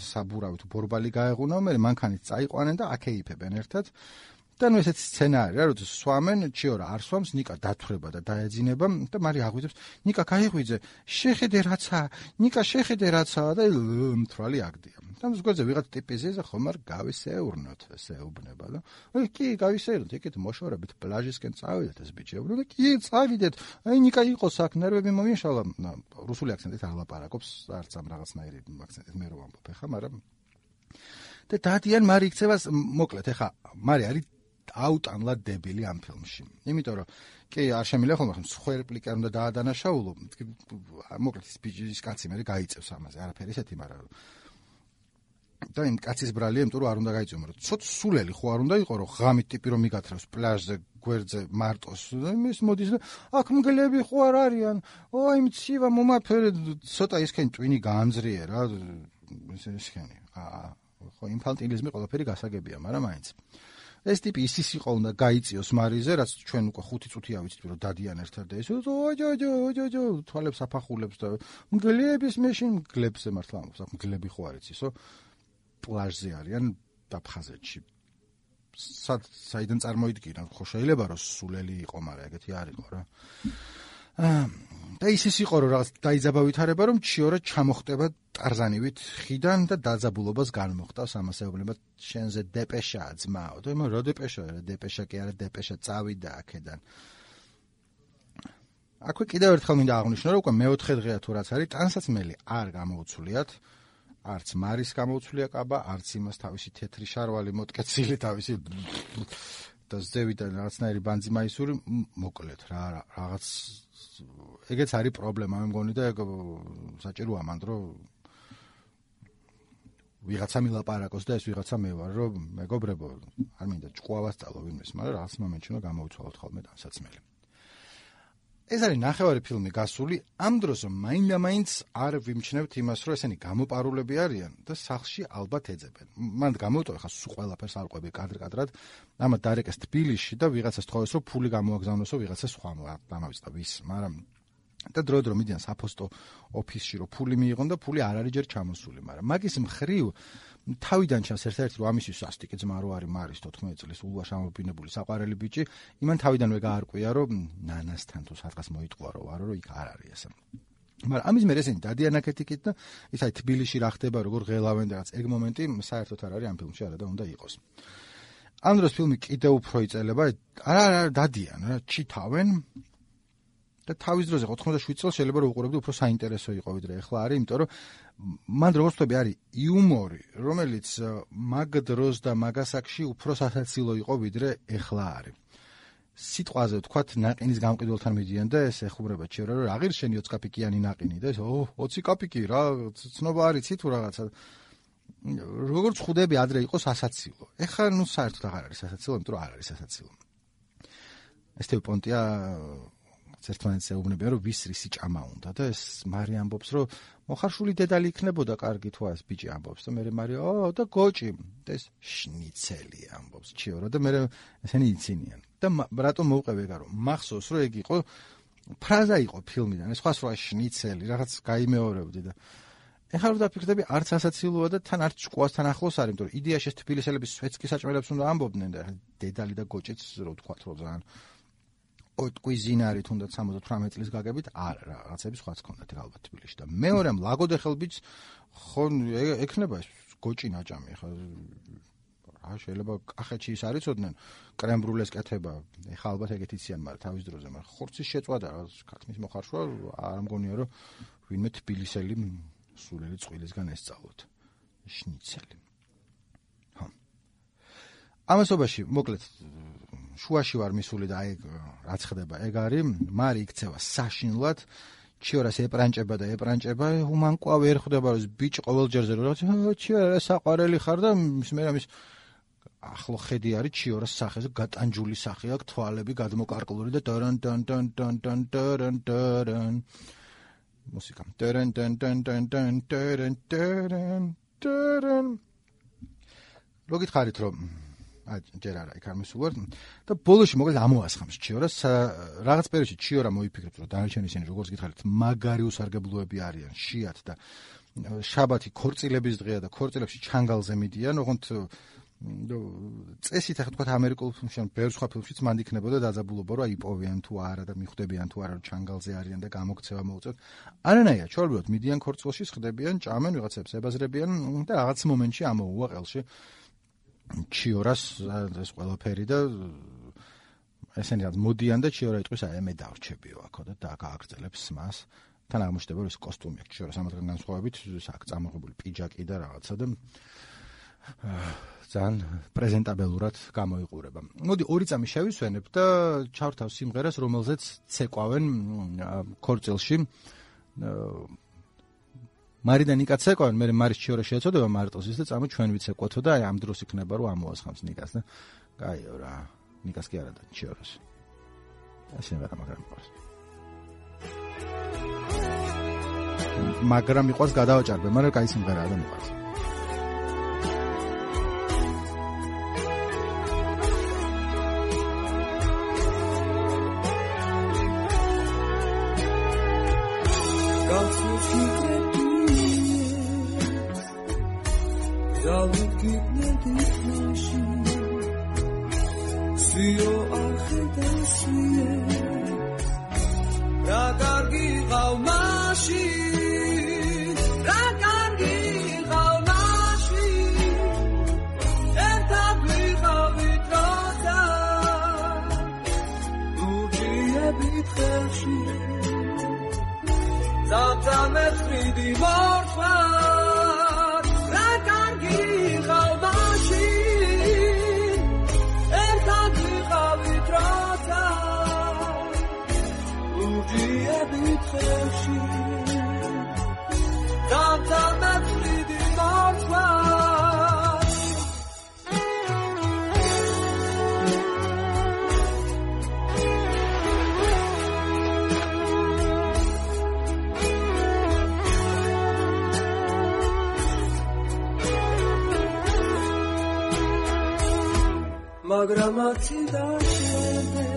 საბურავი თუ ბორბალი გაეღუნა, მე მანქანით წაიყვანენ და აკეიფებენ ერთად. და ნუ ესეთი სცენა არის რა, როდის სვამენ, ჩიორა არ სვამს, ნიკა დათვრება და დაეძინება და მარი აღვიძებს, ნიკა გაიღვიძე, შეხედე რაცა, ნიკა შეხედე რაცა და მთვრალი აგდია. და ზოგადად ვიღაც ტიპიზეს ხომ არ გავისეურნოთ, ესეუბნება და კი გავისეურნოთ, იქით მოშორებით პლაჟისკენ წავიდეთ ეს ბიჭები და კი წავიდეთ, აი ნიკა იყოს აქ ნერვები მომიაშალა, რუსული აქცენტით არ ლაპარაკობს, არც ამ რაღაცნაირი აქცენტით მე რო ვამბობ ხა, მაგრამ და დადიან მარი იქცევა მოკლედ ეხა მარი არის აუტანლად დებილი ამ ფილმში. იმიტომ რომ კი არ შემიძლია ხოლმე მსხვერპლი კი არ უნდა დაადანაშაულო. მოკლედ ის კაცი მე გაიწევს ამაზე არაფერი ესეთი, მაგრამ და იმ კაცის ბრალია, იმიტომ რომ არ უნდა გაიწევო, მაგრამ ცოტ სულელი ხო არ უნდა იყო, რომ ღამით ტიპი რომ მიგათრევს პლაჟზე, გვერდზე, მარტოს. ის მოდის და აქ მგლები ხო არ არიან? ой, მცივა მომაფერე, ცოტა ისქენი ტვინი გაამძრიე რა. ისქენი. ხო ინფანტილიზმი ყველაფერი გასაგებია, მაგრამ მაინც. ეს ტიპი ის იყო უნდა გაიწიოს მარიზე, რაც ჩვენ უკვე 5 წუთია ვიცით, რომ დადიან ერთად და ეს ოჯო თვალებს აფახულებს და მგლების მეშინ მგლებზე მართლა ამბობს, აქ მგლები ხო არის ისო? პლაჟზე არიან აფხაზეთში. საიდან წარმოიდგინე, ხო შეიძლება რომ სულელი იყო, მაგრამ ეგეთი არ იყო რა. და ის იყო რომ რაღაც დაიძაბავითარება რომ ჩიორა ჩამოხტება ტარზანივით ხიდან და დაძაბულობას განმოხტავს ამასეუბნება შენზე დეპეშაა ძმაო. და მე რა დეპეშა კი არა დეპეშა წავიდა აქედან. აქვე კიდევ ერთხელ მინდა აღვნიშნო რომ უკვე მეოთხე დღეა თუ რაც არის ტანსაცმელი არ გამოუცვლიათ. არც მარის გამოუცვლია კაბა, არც იმას თავისი თეთრი შარვალი მოტკეცილი თავისი და ზევიდან რაღაცნაირი ბანძიმაისური მოკლედ რა რაღაც ეგეც არის პრობლემა მე მგონი და ეგ საჭიროა მანდ რომ ვიღაცა მილაპარაკოს და ეს ვიღაცა მე ვარ რომ მეგობრებო არ მინდა ჭყუა ვასწავლო ვინმეს, მაგრამ რაღაც მომენტში უნდა გამოვიცვალოთ ხოლმე ტანსაცმელი. ეს არის ნახევარი ფილმი გასული, ამ დროს რომ მაინდა-მაინც არ ვიმჩნევთ იმას, რომ ესენი გამოპარულები არიან და სახლში ალბათ ეძებენ. მანდ გამოვიტოვე ხა სულ ყველაფერს არ ყვები კადრ-კადრად, ამათ დარეკეს თბილისში და ვიღაცას თხოვეს, რომ ფული გამოაგზავნოსო ვიღაცა სხვა დამავიწყდა ვის, მაგრამ და დრო-დრო მიდიან საფოსტო ოფისში, რომ ფული მიიღონ და ფული არ არის ჯერ ჩამოსული, მაგრამ მაგის მხრივ თავიდან ჩანს ერთ-ერთი რომ ამისი სასტიკი ძმა რო არის მარის 14 წლის ულვაშ ამობინებული საყვარელი ბიჭი, იმან თავიდანვე გაარკვია რომ ნანასთან თუ სადღაც მოიტყვა რომ ვარო რომ იქ არ არის ესე. მაგრამ ამის მერე ესენი დადიან აქეთიკით და ის აი თბილისში რა ხდება როგორ ღელავენ და რაღაც ეგ მომენტი საერთოდ არ არის ამ ფილმში არა და უნდა იყოს. ამ დროს ფილმი კიდევ უფრო იწელება, არა დადიან რა ჩითავენ და თავის დროზე 87 წელს შეიძლება რომ უყურებდი უფრო საინტერესო იყო ვიდრე ახლა არის, იმიტომ რომ მან როგორც ვთქვი არის იუმორი, რომელიც მაგ დროს და მაგასაკში უფრო სასაცილო იყო ვიდრე ახლა არის. სიტყვაზე ვთქვათ ნაყინის გამყიდველთან მიდიან და ეს ეხუბრება ჩიორა რომ აღარ შენი 20 კაპიკიანი ნაყინი და ეს 20 კაპიკი რა ცნობა არიცი თუ რაღაცა როგორც ხვდები ადრე იყო სასაცილო. ეხლა ნუ საერთოდ აღარ არის სასაცილო, იმიტომ რომ არ არის სასაცილო. ეს თვე პონტია ერთმანეთს ეუბნებიან რომ ვის რისი ჭამა უნდა და ეს მარი ამბობს რომ მოხარშული დედალი იქნებოდა კარგი თუ ეს ბიჭი ამბობს და მე მარი და გოჭი და ეს შნიცელი ამბობს ჩიორა და მე ესენი იცინიან და რატომ მოვყევი ეგა რომ მახსოვს რომ ეგ იყო ფრაზა იყო ფილმიდან ეს სხვა შნიცელი რაღაც გაიმეორებდი და ეხლა რომ დაფიქრდები არც ასაცილოა და თან არც ჭკუასთან ახლოს არის იმიტომ რომ იდეაში ეს თბილისელების სვეტსკი საჭმელებს უნდა ამბობდნენ და დედალი და გოჭიც რო ვთქვათ რომ ძალიან კუიზინარი თუნდაც 78 წლის გაგებით არა რაღაცები სხვაც ქონდათ ალბათ თბილისში და მეორე ლაგოდეხელბიც ხო ექნება ეს გოჭი ნაჭამი ხა რა შეიძლება კახეთში ის არიცოდნენ კრემბრულეს კეთება ეხა ალბათ ეგეთ იციან მაგრამ თავის დროზე მაგრამ ხორცის შეწვა და ქათმის მოხარშვა არ მგონია რომ ვინმე თბილისელი სულელი წვილისგან ესწავლოთ შნიცელი ხო ამასობაში მოკლედ შუაში ვარ მისული და აი რაც ხდება ეგ არის მარი იქცევა საშინლად ჩიორას ეპრანჭება და ეპრანჭება უმანკვა ვერ ხვდება რომ ბიჭი ყოველჯერზე რომ ჩიორა საყვარელი ხარ და მე ამის ახლო ხედი არის ჩიორას სახეზე გატანჯული სახე აქვს თვალები გადმოკარკლული და დან დან დან დან დან დან დან მუსიკა დან დან დან დან დან დან დან დან ლოგით რომ ჯერ არა იქ არ მისულვარ და ბოლოში მოკლედ ამოასხამს ჩიორას რაღაც პერიოდში ჩიორა მოიფიქრებს რომ დანარჩენი ისინი როგორც გითხარით მაგარი უსარგებლოები არიან შიათ და შაბათი ქორწილების დღეა და ქორწილებში ჩანგალზე მიდიან ოღონდ წესით ახლა თქვა ამერიკულ ფილმში ან ბევრ სხვა ფილმშიც მანდ იქნებოდა დაძაბულობა რომ იპოვიან თუ არა და მიხვდებიან თუ არა რომ ჩანგალზე არიან და გამოქცევა მოუწევთ არანაირად ჩორბიოთ მიდიან ქორწილში ხდებიან ჭამენ ვიღაცებს ებაზრებიან და რაღაც მომენტში ამოუვა ყელში ჩიორას ეს ყველაფერი და ესენი რაც მოდიან და ჩიორა იტყვის აი მე დავრჩებიო აქო და გააგრძელებს მას თან აღმოჩნდება რომ ეს კოსტუმი აქვს ჩიორას ამათგან განსხვავებით აქ წამოღებული პიჯაკი და რაღაცა და ძალიან პრეზენტაბელურად გამოიყურება. მოდი ორი წამი შევისვენებ და ჩავრთავ სიმღერას, რომელზეც ცეკვავენ ქორწილში. მარი და ნიკა ცეკვავენ, მე მარის ჩიორა შეეწოდება მარტოს ის და წამო ჩვენ ვიცეკვოთო და აი ამ დროს იქნება რომ ამოასხამს ნიკას და კაიო რა, ნიკას კი არა და ჩიორას. სიმღერა მაგრამ მიყვარს. მაგრამ მიყვარს გადავაჭარბე, მაგრამ კაი სიმღერაა და მიყვარს. Magramati dasheme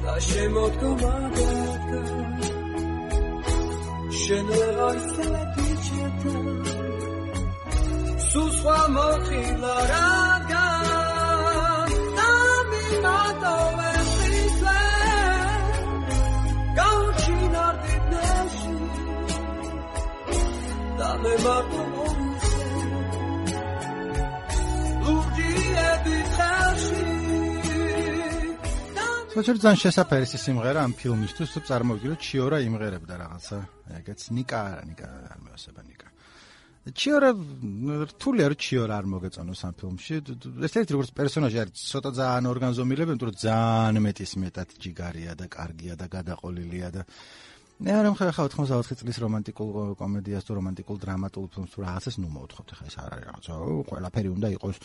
dashemot komagata shenelay selaticheta suswa mokhilaraga nami matovesitwe gauchinarditneshi dame martomoise საერთოდ ძალიან შესაფერი სიმღერა ამ ფილმისთვის, თუ წარმოვიდგინოთ ჩიორა იმღერებდა რაღაცა, ეგეც ნიკა არ მეოსება ნიკა. ჩიორა რთულია რომ ჩიორა არ მოგეწონოს ამ ფილმში. ეს ერთი როგორც პერსონაჟი არის ცოტა ძალიან ორგანზომილები, იმიტომ რომ ძალიან მეტად ჯიგარია და კარგია და გადაყოლილია და მე არ ხა 84 წლის რომანტიკულ კომედიას თუ რომანტიკულ დრამატულ ფილმს თუ რაღაცას ნუ მოვთხოვთ, ხა ეს არ არის რაღაცა, ყველაფერი უნდა იყოს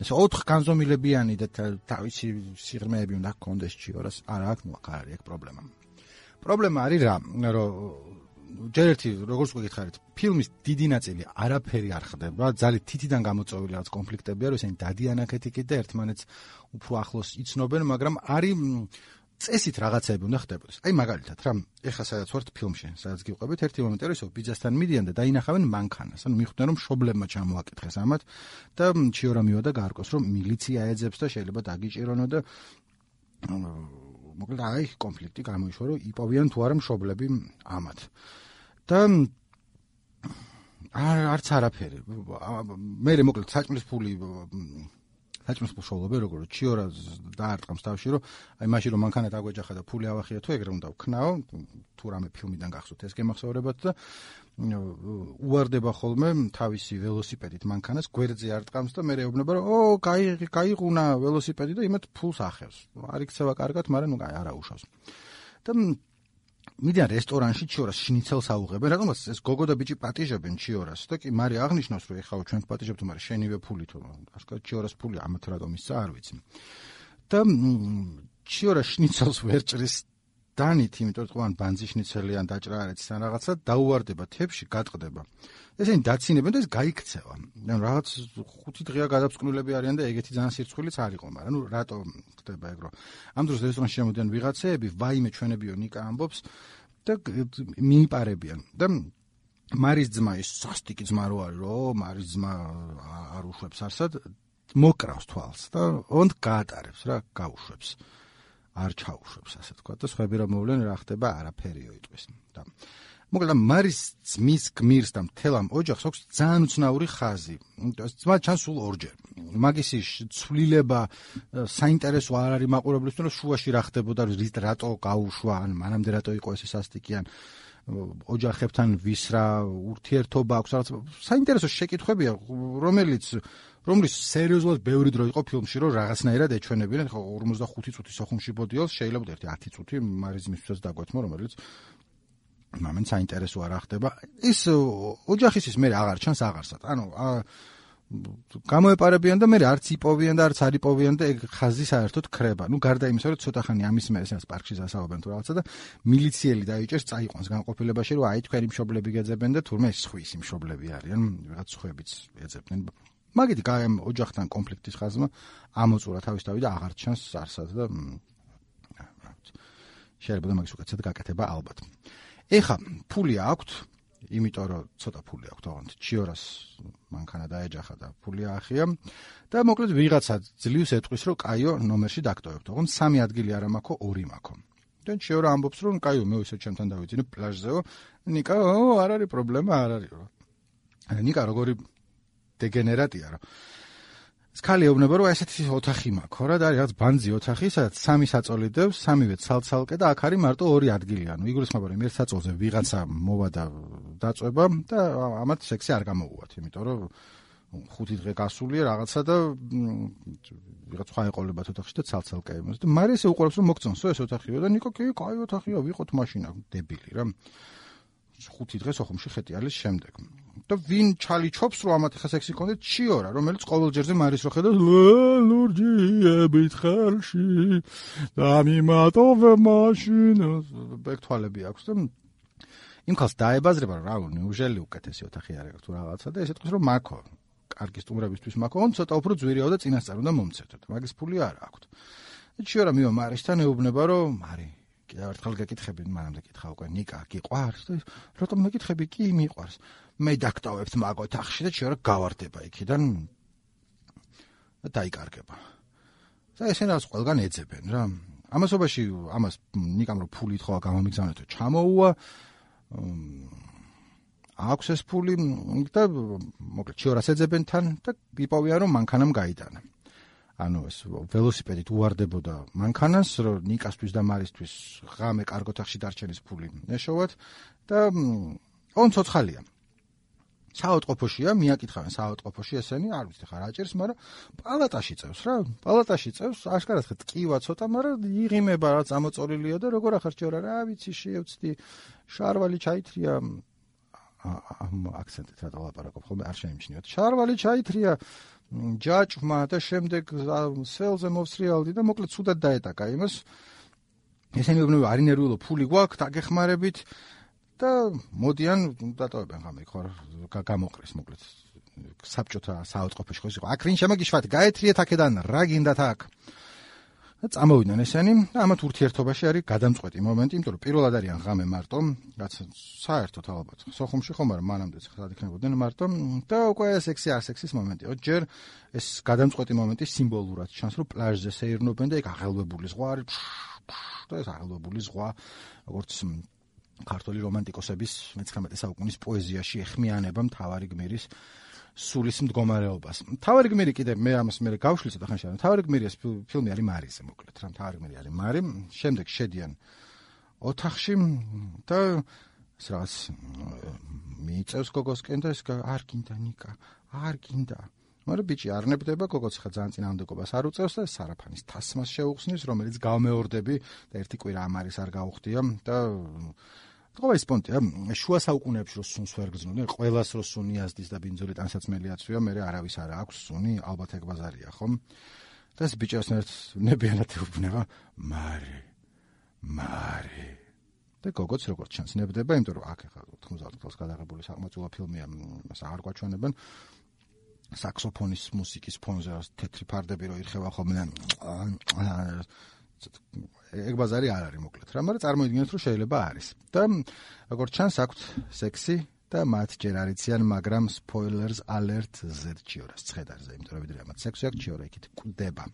ეს 4 განზომილებიანი და თავისი სიღრმეები უნდა ჰქონდეს ჩიორას, არა აქ ნუ აქ არის ეგ პრობლემა. პრობლემა არის რა, რომ ჯერ ერთი როგორც გითხარით, ფილმის დიდი ნაწილი არაფერი არ ხდება, ძალიან თითიდან გამოწვეული რაღაც კონფლიქტებია, რომ ისინი დადიან აქეთ-იქით და ერთმანეთს უფრო ახლოს იცნობენ, მაგრამ არის წესით რაღაცები უნდა ხდებოდეს. აი მაგალითად რა, ეხლა სადაც ვართ ფილმში, სადაც გიყვებით, ერთი მომენტი არის, რომ ბიძასთან მიდიან და დაინახავენ მანქანას. ანუ მიხვდნენ, რომ მშობლებმა ჩამოაკითხეს ამათ და ჩიორა მივიდა გაარკვეს, რომ მილიცია ეძებს და შეიძლება დაგიჭირონო და მოკლედ აი კონფლიქტი გამოიშვა, რომ იპოვიან თუ არა მშობლები ამათ. და არც არაფერი. მე მოკლედ საჭმლის ფული შოულობე როგორ ჩიორა დაარტყამს თავში რომ აი მაშინ რომ მანქანა დაგვეჯახა და ფული ავახია თუ ეგრე უნდა ვქნაო თუ რამე ფილმიდან გახსოვთ ეს გემახსოვრებათ და უვარდება ხოლმე თავისი ველოსიპედით მანქანას გვერდზე არტყამს და მე ეუბნება რომ ო გაიღუნა ველოსიპედი და იმათ ფულს ახევს არ იქცევა კარგად მაგრამ ნუ არა უშავს და მიდიან რესტორანში ჩიორას შნიცელს აუღებენ, რატომაც ეს გოგო და ბიჭი პატიჟებენ ჩიორას და კი მარი აღნიშნავს რომ ეხაო ჩვენ პატიჟებთ, მაგრამ შენივე ფული თუ ასკა ჩიორას ფული ამათ რატომ ისცა არ ვიცი. და ჩიორა შნიცელს ვერ ჭრის დანით, იმიტომ რომ ან ბანძი შნიცელი ან დაჭრა არის თან რაღაცა დაუვარდება თებში, გატყდება. ესენი დაცინებენ და ეს გაიქცევა. ანუ რაღაც 5 დღეა გადაფსკვნილები არიან და ეგეთი ძალიან სირცხვილიც არ იყო, მაგრამ ნუ რატო ხდება ეგრო. ამ დროს რესტორანში შემოდიან ვიღაცეები, ვაიმე ჩვენებიო ნიკა ამბობს და მიიპარებიან. და მარის ძმა ის სასტიკი ძმა რო არის, რომ მარის ძმა არ უშვებს არსად, მოკრავს თვალს და ოღონდ გაატარებს რა, გაუშვებს. არ ჩაუშვებს, ასე თქვა და სხვები რომ მოვლენ რა ხდება, არაფერიო იტყვის. და მოკლედ მარის ძმის გმირს და მთელ ამ ოჯახს აქვს ძალიან უცნაური ხაზი. ძმა ჩანს სულ ორჯერ. მაგის ცვლილება საინტერესო არ არის მაყურებლისთვის, რომ შუაში რა ხდებოდა, რატო გაუშვა, ან მანამდე რატო იყო ეს სასტიკიან. ოჯახებთან ვის რა ურთიერთობა აქვს რაღაც საინტერესო შეკითხვებია რომლის სერიოზულად ბევრი დრო იყო ფილმში რომ რაღაცნაირად ეჩვენებინა ხო 45 წუთი სოხუმში ბოდიალს შეიძლება ერთი 10 წუთი მარიზმისთვისაც დაგვეთმო რომელიც მამენ საინტერესო არ ხდება ის ოჯახის მე აღარ ჩანს აღარსად ანუ გამოეპარებიან და მე არც იპოვიან და არც არ იპოვიან და ეგ ხაზი საერთოდ ქრება. ნუ გარდა იმისა, რომ ცოტა ხანი ამის მე ესენს პარკში დასაუბრებენ თუ რაღაცა და მილიციელი დაიჭერს, წაიყვანს განყოფილებაში, რომ აი თქვენი მშობლები გეძებენ და თურმე სხვისი მშობლები არიან, რაღაც სხვებიც ეძებდნენ. მაგით ოჯახთან კონფლიქტის ხაზმა ამოწურა თავისთავად და აღარ ჩანს არსად და შეიძლება მაგის უკეთესად გაკეთება ალბათ. ეხა ფული აქვთ იმიტომ რომ ცოტა ფული აქვს თქო ჩიორას მანქანა დაეჯახა და ფული აახია და მოკლედ ვიღაცა ძლივს ეტყვის რომ კაიო ნომერში დაგტოვებ თქო 3 ადგილი არა მაქვს 2 მაქვს და ჩიორა ამბობს რომ კაიო მე ისე ჩემთან დავიძინე პლაჟზეო ნიკა არ არის პრობლემა არ არის ნიკა როგორი დეგენერატია რა ხალი ეუბნება რომ ესეთი ოთახი მაქვს რა და არის რაღაც ბანძი ოთახი სადაც 3 საწოლი დევს 3-ვე ცალ-ცალკე და აქ არის მარტო 2 ადგილი ანუ იგულისხმება რომ ერთ საწოლზე ვიღაცა მოვა და დაწובה და ამათ სექსი არ გამოუვათ იმიტომ რომ 5 დღე გასულია რაღაცა და ვიღაც სხვა ეყოლებათ ოთახში და ცალ-ცალკე იმას და მარი ესე უყურებს რომ მოგწონსო ეს ოთახიო და ნიკო კი კაი ოთახია ვიყოთ მაშინა დებილი რა 5 დღე სოხუმში ხეტიალის შემდეგ და ვინ ჩალიჩობს რომ ამათ ხა სექსი კონდეთ ჩიორა რომელიც ყოველჯერზე მარის რო ხედავს ლურჯიებით ხელში და მიმატოვე მაშინას ბექთვალები აქვს და იმ ხალს დაებაზრება რა ნეუჟელი უკეთესი ოთახი არის თუ რაღაცა და ესეთ ყოს რომ მაქო კარგი სტუმრებისთვის მაქო on ცოტა უფრო ძვირიაო და წინასწარ უნდა მომცეთო და მაგის ფული არ აქვს და ჩიორა მივა მარისთან ეუბნება რომ მარი კიდევ ერთხელ გეკითხები მანამდე კითხა უკვე ნიკა გიყვარს და რატომ მეკითხები კი მიყვარს მე დაგტოვებთ მაგ ოთახში და ჩიორა გავარდება იქიდან და დაიკარგება და ესენაც ყველგან ეძებენ რა ამასობაში ამას ნიკამ რო ფული თხოვა გამომიგზავნეთო ჩამოუვა აქვს ეს ფული და მოკლედ ჩიორას ეძებენ თან და იპოვიან რომ მანქანამ გაიტანა ანუ ეს ველოსიპედით უვარდებოდა მანქანას რომ ნიკასთვის და მარისთვის ღამე კარგ ოთახში დარჩენის ფული ეშოვათ და on ცოცხალია საავადმყოფოშია მიაკითხავენ საავადმყოფოში ესენი არ ვიცი ხარ აჭერს მაგრამ პალატაში წევს რა პალატაში წევს აშკარად ხე ტკივა ცოტა მაგრამ იღიმება რა წამოწოლილია და როგორ ახარ ჩორა რა ვიცი შევწდი შარვალი ჩაითრია აქცენტით რა დავაპარაკობ ხოლმე არ შეიმჩნიოთ შარვალი ჩაითრია ჯაჭვმა და შემდეგ სელზე მოვსრიალდი და მოკლედ ცუდად დაეტაკა იმას ესენი უბნები არ ინერვიულო ფული გვაქვს დაგეხმარებით და მოდიან დატოვებენ ღამე ხო გამოყრეს მოკლედ საბჭოთა საავადმყოფოში ხო ის იყო აქ ვინ შემაგიშვათ გაეთრიეთ აქედან რა გინდათ აქ და წამოვიდნენ ესენი და ამათ ურთიერთობაში არის გადამწყვეტი მომენტი იმიტომ რომ პირველად არიან ღამე მარტო რაც საერთოდ ალბათ სოხუმში ხომ არა მანამდეც ხად იქნებოდნენ მარტო და უკვე სექსი არ სექსის მომენტია ჯერ ეს გადამწყვეტი მომენტი სიმბოლურად ჩანს რომ პლაჟზე სეირნობენ და ეგ აღელვებული ზღვა არის და ეს აღელვებული ზღვა როგორც ქართული რომანტიკოსების მე-19 საუკუნის პოეზიაში ეხმიანება მთავარი გმირის სულის მდგომარეობას. მთავარი გმირი კიდე მე ამას მე გავშლი ცოტა ხანში. მთავარი გმირის ფილმი არის მარიზე მოკლედ რა მთავარი გმირი არის მარი. შემდეგ შედიან ოთახში და ეს რაღაც მიიწევს გოგოსკენ და ეს არ გინდა ნიკა, არ გინდა. მაგრამ ბიჭი არ ნებდება გოგოც ხა ძალიან წინააღმდეგობას არ უწევს და სარაფანის თასმას შეუხსნის რომელიც გამეორდები და ერთი კვირა ამ არის არ გაუხდია და თქვა ის პონტია შუა საუკუნეებში რო სუნს ვერ გრძნობდნენ ყველას რო სუნი აზდის და ბინძური ტანსაცმელი აცვია მე არავის არ აქვს სუნი ალბათ ეგ ბაზარია ხომ და ეს ბიჭას ნებიანად ეუბნება მარი და გოგოც როგორც ჩანს ნებდება იმიტომ რომ აქ ახლა 90 წელს გადაღებული საკმაოდ ფილმია მას აღარ გვაჩვენებენ საქსოფონის მუსიკის ფონზე თეთრი ფარდები რო ირხევა ხოლმე ეგ ბაზარი არ არის მოკლედ რა მაგრამ წარმოიდგინეთ რომ შეიძლება არის და როგორც ჩანს აქვთ სექსი და მათ ჯერ არ იციან მაგრამ spoilers alert ზერჩიორას ცხედარზე იმიტომ რომ ვიდრე ამათ სექსი აქვს ჩიორა იქით კვდება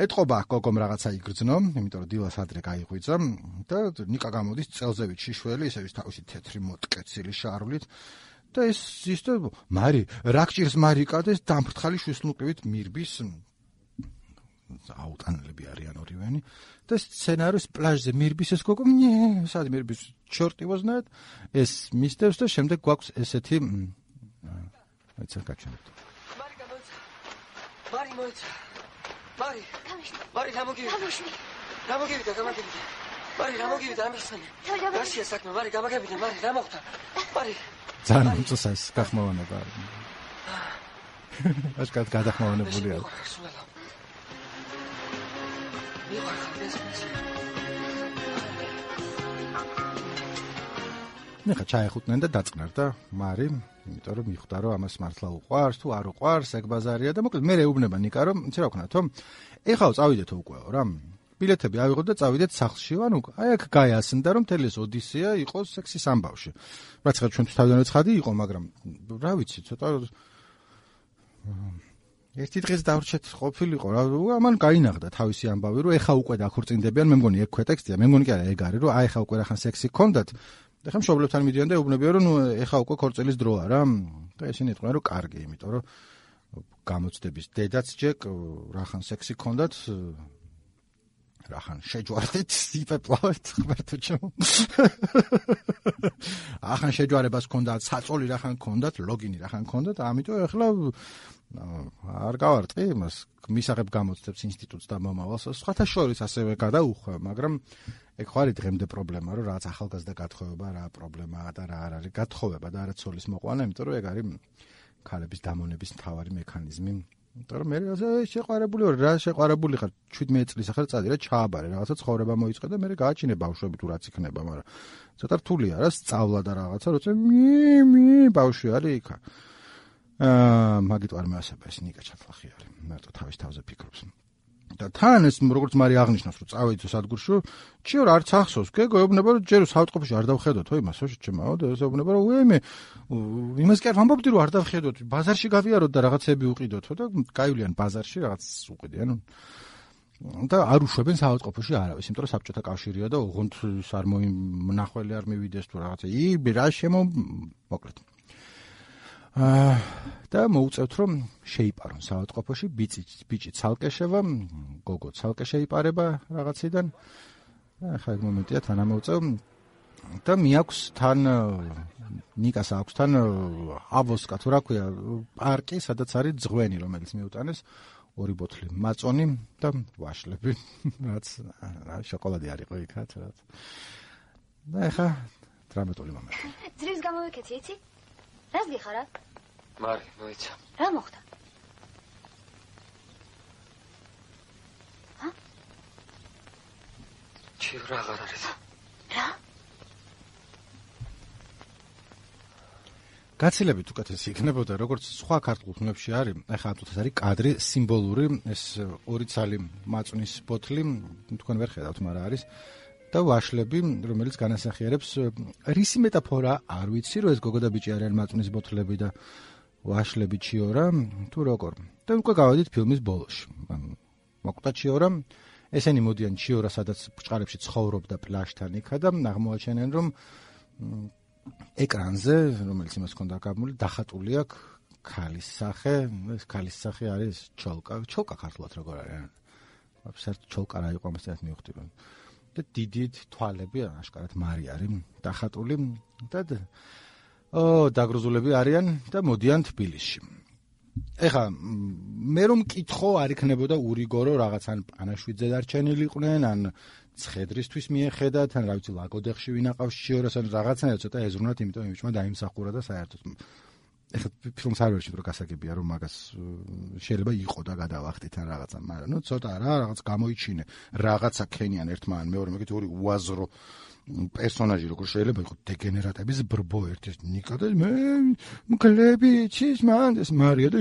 ეთყობა გოგომ რაღაცა იგრძნო იმიტომ რომ დილას ადრე გაიღვიძა და ნიკა გამოდის წელზევით შიშველი ისე ვის თავისი თეთრი მოტკეცილი შარვლით და ეს მარი რა გჭირს მარიკა და ეს დამფრთხალი შვისლმუკებით მირბის აუტანლები არიან ორივენი და სცენარის პლაჟზე მირბის ეს გოგო სად მირბის ჩორტი ვოზნათ ეს მისდევს და შემდეგ გვაქვს ესეთი აიცა გაჩვენებთ მარი მოიცა მარი გამოგივიდა მარი გამოგივიდა ამიხსენე რაშია საქმე მარი გამოგივიდა მარი რა მოხდა მარი ძალიან უწესას გახმოვანება აშკარად გადახმოვანებულია ნახა ჩაეხუტნენ და დაწყნარ და მარი იმიტომ რომ მიხვდა რომ ამას მართლა უყვარს თუ არ უყვარს ეგ ბაზარია და მოკლედ მე ეუბნება ნიკა რომ იცი რა ვქნათო ეხლა წავიდეთო უკვე რა ბილეთები ავიღოთ და წავიდეთ სახლში ანუ აი აქ გაიასნდა რომ მთელი ეს ოდისეა იყოს სექსის ამბავში რაც ხარ ჩვენთვის თავიდანვე ცხადი იყო მაგრამ რა ვიცი ცოტა ერთი დღეს დავრჩეთ ყოფილიყო რა ამან გაინახდა თავისი ამბავი რომ ეხა უკვე დაქორწინდებიან მე მგონი ეგ ქვეტექსტია მე მგონი კი არა ეგ არის რომ აი ეხა უკვე რახან სექსი გქონდათ და ხა მშობლებთან მიდიან და ეუბნებიან რომ ეხა უკვე ქორწილის დროა რა და ისინი იტყვიან რომ კარგი იმიტომ რომ გამოცდების დედაც ჯეკ რახან სექსი გქონდათ რახან შეჯვარდით იფეპლავეთ ხმერთო ჩემ ახან შეჯვარებას გქონდათ საწოლი რახან გქონდათ ლოგინი რახან გქონდათ ამიტომ ეხლა არ გავარტყი იმას მისაღებ გამოცდებს ინსტიტუტს და მომავალს სხვათა შორის ასევე გადაუხვევ მაგრამ ეგ ხო არის დღემდე პრობლემა რომ რაც ახალგაზრდა გათხოვება რა პრობლემაა და რა არ არის გათხოვება და არა ცოლის მოყვანა იმიტომ რომ ეგ არის ქალების დამონების მთავარი მექანიზმი იმიტომ რომ მე შეყვარებული ვარ რა შეყვარებული ხარ 17 წლის ახლა წადი რა ჩააბარე რაღაცა ცხოვრება მოიწყე და მე გააჩინე ბავშვები თუ რაც იქნება მაგრამ ცოტა რთულია რა სწავლა და რაღაცა როცა მი ბავშვი არის იქა მაგით არ მეასება ეს ნიკა ჩაფლახი არის მარტო თავის თავზე ფიქრობს და თან ეს როგორც მარი აღნიშნავს რომ წავიდო სადგურში ჩიორ არც ახსოვს გეგო ეუბნება რომ ჯერ საავტოფში არ დავხედოთ ხო იმას შეჩემაო და ეს ეუბნება რომ უემე იმას კი არ ვამბობდი რომ არ დავხედოთ ბაზარში გავიაროთ და რაღაცები უყიდოთო და გაივლიან ბაზარში რაღაც უყიდიან და არ უშვებენ საავტოფში არავის იმიტომ რომ საბჭოთა კავშირია და ოღონდ არ მომნახველი არ მივიდეს თუ რაღაცა რა შემო მოკლედ და მოუწევთ რომ შეიპარონ საავადმყოფოში ბიჭი ცალკე შევა გოგო ცალკე შეიპარება რაღაციდან ახლა ეგ მომენტია თან ამოუწევ და მიაქვს თან ნიკას აქვს თან აბოსკა თუ რა ქვია პარკი სადაც არის ძღვენი რომელიც მიუტანეს 2 ბოთლი მაწონი და ვაშლები რაც შოკოლადი არისო იქაც რაც და ახლა დრამატული მომენტი ძრებს გამოვიქეცი იცი რას გიხარა მარი მოიცა რა მოხდა ჩი რა არის რა გაცილებით უკეთესი იქნებოდა როგორც სხვა ქართულ ფილმებში არის ახლა ამიტომ ეს არის კადრი სიმბოლური ეს 2 ცალი მაწვნის ბოთლი თქვენ ვერ ხედავთ მაგრამ არის და ვაშლები რომელიც განასახიერებს რისი მეტაფორა არ ვიცი რომ ეს გოგო და ბიჭი არიან მაწვნის ბოთლები და ვაშლები ჩიორა თუ როგორ და უკვე გავედით ფილმის ბოლოში მოკვდა ჩიორა ესენი მოდიან ჩიორა სადაც ბჭყალებში ცხოვრობდა პლაჟთან იქა და აღმოაჩენენ რომ ეკრანზე რომელიც იმას ჰქონდა გამული დახატული აქვს ქალის სახე ეს ქალის სახე არის ჩოლკა ქართულად როგორ არის აბსოლუტურად ჩოლკა რა იყო ამასთან მივხვდი და დიდი თვალები აშკარად მარი არის დახატული და დაგრუზულები არიან და მოდიან თბილისში ეხა მე რომ მკითხო არ იქნებოდა ურიგორო რაღაც ან პანაშვიძე დარჩენილიყვნენ ან ცხედრისთვის მიეხედათ ან რა ვიცი ლაგოდეხში ვინაყავს ჩიორას ან რაღაცნაირად ცოტა ეზრუნათ იმიტომ იმიჩმა დაიმსახურა და საერთოდ ეხლა ფილმს არ ვერჩით რომ გასაგებია რომ მაგას შეიძლება იყო და გადავახტით ან რაღაცა მაგრამ ნუ ცოტა რა რაღაც გამოიჩინე რაღაცა ქენიან ერთმან მეორე მეკით ორი უაზრო პერსონაჟი როგორ შეიძლება იყოს დეგენერატების ბრბო ერთი ნიკა და მე მკლები ჩის მან ეს მარია და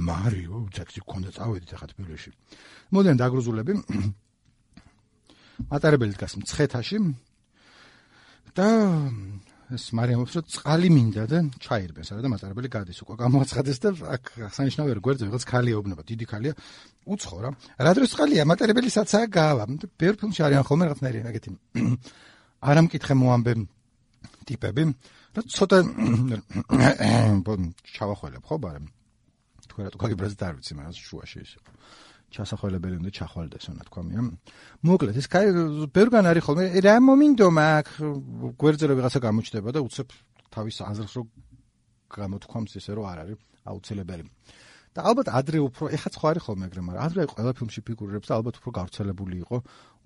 მარი უცექსი კონდა წავედით ახლა თბილისში მოდიან დაგრუზულები მატარებელი დგას მცხეთაში და ეს მარიამობს რომ წყალი მინდა და ჩაირბეს არა და მატარებელი გადის უკვე გამოაცხადეს და აქ აღსანიშნავია რომ გვერდზე ვიღაც ქალია უბნება დიდი ქალია უცხო რა დროს წყალია მატარებელი საცაა გავა ბევრ ფილმში არიან ხოლმე რაღაცნაირი ეგეთი არ ამკითხე მოამბე ტიპები და ცოტა ჩავახველებ ხო ბარემ თქვენ რატო გაგიბრაზეთ არ ვიცი მაგას შუაში ისე ჩასახველებელი უნდა ჩახვალდეს, რა თქვა მე. მოკლედ, ეს ბევრგან არის ხოლმე, რა მომინდომა აქ გვერდზე რო ვიღაცა გამოჩნდება და უცებ თავის აზრს რო გამოთქვამს ისე რომ არ არის აუცილებელი. და ალბათ ადრე უფრო, ეხლა სხვა არის ხოლმე ეგრე, მაგრამ ადრე ყველა ფილმში ფიგურირებს და ალბათ უფრო გავრცელებული იყო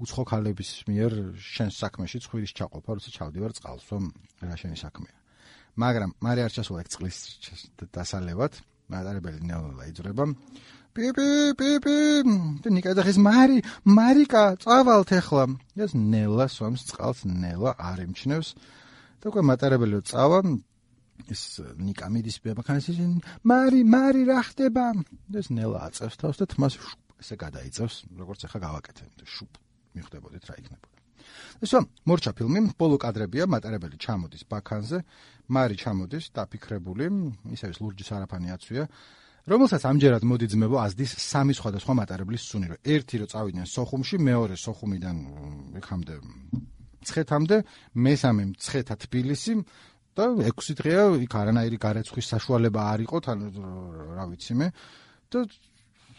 უცხო ქალების მიერ შენს საქმეში ცხვირის ჩაყოფა, როცა ჩავდივარ წყალს, რომ რა შენი საქმეა. მაგრამ მარე არ ჩასულა ეგ წყლის დასალევად, მატარებელი ნელა იძრება. პიპი და ნიკა დახის მარიკა წავალთ ახლა. ეს ნელა სვამს წყალს, ნელა არ იმჩნევს და უკვე მატარებელი წავა ეს ნიკა მიდის ბებაქანს მარი რა ხდება? ეს ნელა აწევს თავს და თმას ესე გადაიწევს, როგორც ახლა გავაკეთე. შუპ მიხვდებოდით რა იქნებოდა. ესო მორჩა ფილმი, ბოლო კადრებია, მატარებელი ჩამოდის ბაქანზე, მარი ჩამოდის დაფიქრებული, ისე ის ლურჯის არაფანი აცვია, რომელსაც ამჯერად მოდი ძმებო აზდის სამი სხვადასხვა მატარებლის სუნი, რომ ერთი რო წავიდნენ სოხუმში, მეორე სოხუმიდან იქამდე მცხეთამდე, მესამე მცხეთა თბილისი და 6 დღეა იქ არანაირი გარეცხვის საშუალება არ იყო, თან რა ვიცი მე და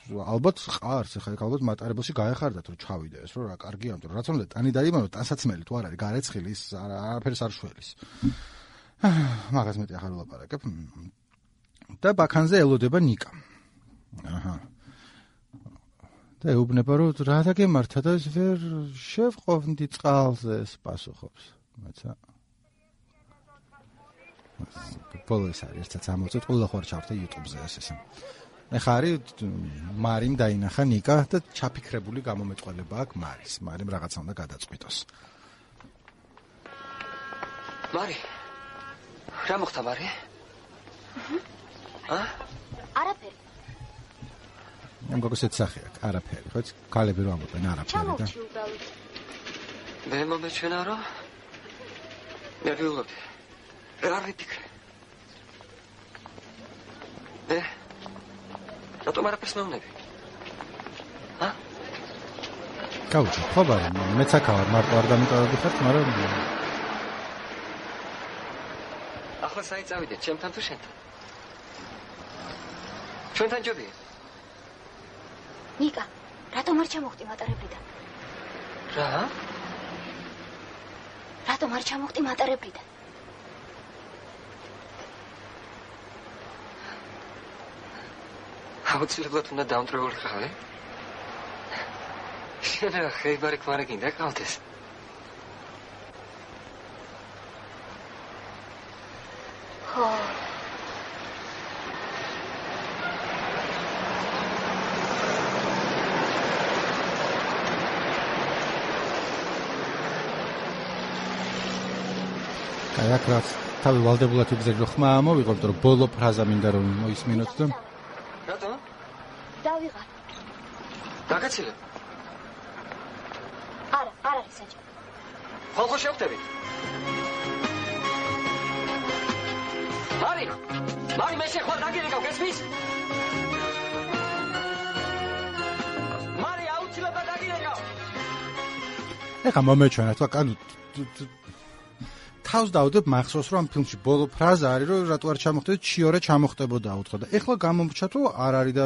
ალბათ ყარს, ახლა ალბათ მატარებელში გაეხარდათ რომ ჩავიდე ეს რომ რა კარგი ამიტომ რაც უნდა ტანი დაიმანო ტანსაცმელი თუ არ არის გარეცხილი ის არაფერს არ შველის. მაგას მეტი ახლა ვლაპარაკებ. და ბაქანზე ელოდება ნიკა. აჰა. და ეუბნება რომ რა დაგემართა და ეს ვერ შევყოვდი წყალზე ეს პასუხობს. მეცა პოლის არის ერთად ამოწეთ ყველა ხوار ჩავხდა YouTube-ზე ეს. ეხა არის მარიმ დაინახა ნიკა და ჩაფიქრებული გამომეწყვალება აქვს მარის. მარიმ რაღაცა უნდა გადაწყვიტოს. მარი. რა მოხდა მარი? არაფერი. ამ გოგოსეთ სახე აქვს, არაფერი, ხო? ქალები რომ ამბობენ არაფერი და. მე მომეჩვენა რომ მე ვიღებდი. რა ვიფიქრე? რატომ არაფერს მეუბნები? გაუჩი, ხო ბარი, მეც აქავარ, მარტო არ დამიტოვებდი ხართ, მაგრამ ახლა საით წავიდეთ, ჩემთან თუ შენთან? ჩვენთან ჯობია? ნიკა, რატომ არ ჩამოხდი მატარებლიდან? რა? რატომ არ ჩამოხდი მატარებლიდან? აუცილებლად უნდა დაუნტრეულიყავი? შენ რა ხეიბარი ქმარი გინდა ყავდეს? ხო. კაიაკრას თავი ვალდებულად იგზელო ხმა ამოვიღო, იმიტომ რომ ბოლო ფრაზა მინდა რომ მოისმინოთ და რატო? დავიღალ. დაგაცილე? არა არის საჭირო. ხო შევხვდებით. მარი მე შეხვალ დაგირეკავ, გესმის? მარი აუცილებლად დაგირეკავ. ეხა მომეჩვენა თქვა კანუ თავს დავდებ მახსოვს რომ ამ ფილმში ბოლო ფრაზა არის რომ რატო არ ჩამოხდეთ ჩიორე ჩამოხდებოდა უთხრა და ეხლა გამომრჩა თუ არ არის და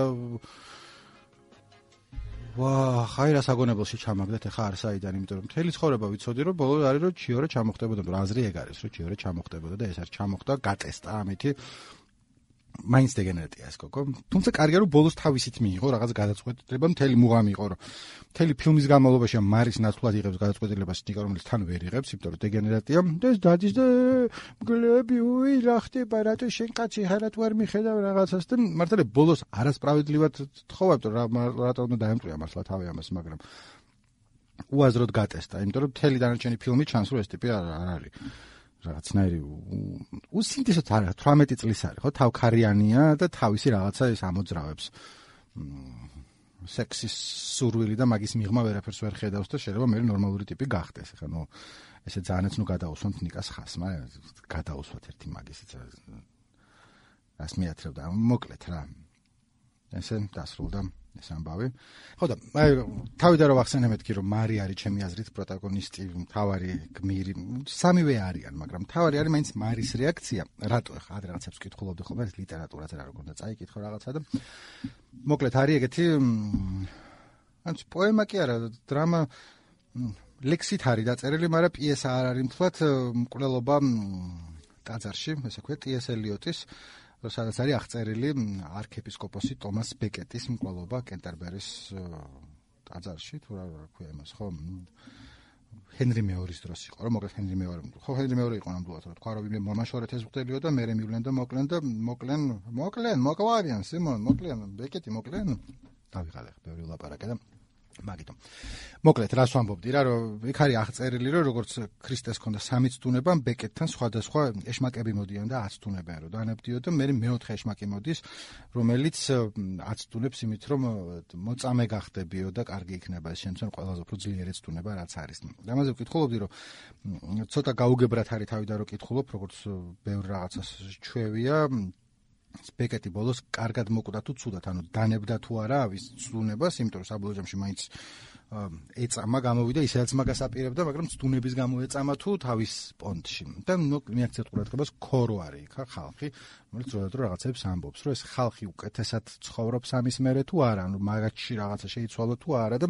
ვა ხაი რა საგონებელში ჩამაგდეთ ეხლა არ საიდან იმიტომ რომ მთელი ცხოვრება ვიცოდი რომ ბოლო არის რომ ჩიორე ჩამოხდებოდა რომ აზრი ეგ არის რომ ჩიორე ჩამოხდებოდა და ეს არ ჩამოხდა გატესტა ამითი მაინც დეგენერატია ეს გოგო თუმცა კარგია რომ ბოლოს თავისით მიიღო რაღაც გადაწყვეტილება მთელი მუღამი იყო რომ მთელი ფილმის განმავლობაში მარის ნაცვლად იღებს გადაწყვეტილებას ნიკა რომელიც თან ვერ იღებს იმიტომ რომ დეგენერატია და ეს დადის და მგლები უი რა ხდება რატო შენ კაცი ჰარათ ვერ მიხედავ რაღაცას და მართლა ბოლოს არასპრავედლივად თხოვა იმიტომ რატო უნდა დაემტვია მართლა თავი ამას მაგრამ უაზროდ გატესტა იმიტომ რომ მთელი დანარჩენი ფილმი ჩანს რომ ეს ტიპი არ არის რაღაცნაირი უსინთესოდ არა 18 წლის არის ხო თავქარიანია და თავისი რაღაცა ეს ამოძრავებს სექსის სურვილი და მაგის მიღმა ვერაფერს ვერ ხედავს და შეიძლება მე ნორმალური ტიპი გახდეს ხა ნუ ესე ძალიანაც ნუ გადაუსვამთ ნიკას ხას მაგრამ გადაუსვათ ერთი მაგისიც რას მიათრევდა მოკლედ რა ესე დასრულდა ეს ამბავი ხო და თავიდან რომ ახსენე მეთქი რომ მარი არის ჩემი აზრით პროტაგონისტი მთავარი გმირი სამივე არიან მაგრამ მთავარი არის მაინც მარის რეაქცია რატო ხა ადრე რაღაცებს ვკითხულობდი ხოლმე ლიტერატურაზე რა როგორ უნდა წაიკითხო რაღაცა და მოკლედ არის ეგეთი ანუ პოემა კი არა, დრამა ლექსით არის დაწერილი, მაგრამ პიესა არ არის მთლად მკვლელობა ტაძარში, ესე ვქვათ, ტი.ეს. ელიოტის, სადაც არის აღწერილი არქიეპისკოპოსი ტომას ბეკეტის მკვლელობა კენტერბერის ტაძარში, თუ რა ქვია იმას, ხო? ჰენრი მეორის დროს იყო, რომ მოკლედ ჰენრი მეორე. ხო, ჰენრი მეორე იყო ნამდვილად, რა თქვა, რომ ვინმე მომაშორეთ ეს მღვდელიო და მერე მივლენ და მოკლენ, სიმონ, მოკლენ, ბეკეტი მოკლენ. დავიღალე ხე, ბევრი ვლაპარაკე და მაგითო. მოკლედ, რას ვამბობდი რა, რომ იქ არის აღწერილი, რომ როგორც ქრისტეს ჰქონდა სამი ცდუნება, ბეკეტთან სხვადასხვა ეშმაკები მოდიან და აცდუნებენ, რომ დანებდიო და მე მეოთხე ეშმაკი მოდის, რომელიც აცდუნებს იმით, რომ მოწამე გახდებიო და კარგი იქნება ეს შემცენ ყველაზე უფრო ძლიერი ცდუნება რაც არის. ამაზე ვკითხულობდი, რომ ცოტა გაუგებრად არის თავი და რო კითხულობ, როგორც ბევრ რაღაცას ჩვევია, ბეკეტი ბოლოს კარგად მოკვდა თუ ცუდად, ანუ დანებდა თუ არა ავის ცდუნებას, იმიტომ რომ საბოლოო ჯამში მაინც ეწამა გამოვიდა, ისაც მაგას აპირებდა, მაგრამ ცდუნების გამო ეწამა თუ თავის პონტში. და მიაქცევთ ყურადღებას ქორო არის იქ ხალხი, რომელიც როდადრო რაღაცებს ამბობს, რომ ეს ხალხი უკეთესად ცხოვრობს ამის მერე თუ არა, ანუ მაგათში რაღაცა შეიცვალა თუ არა და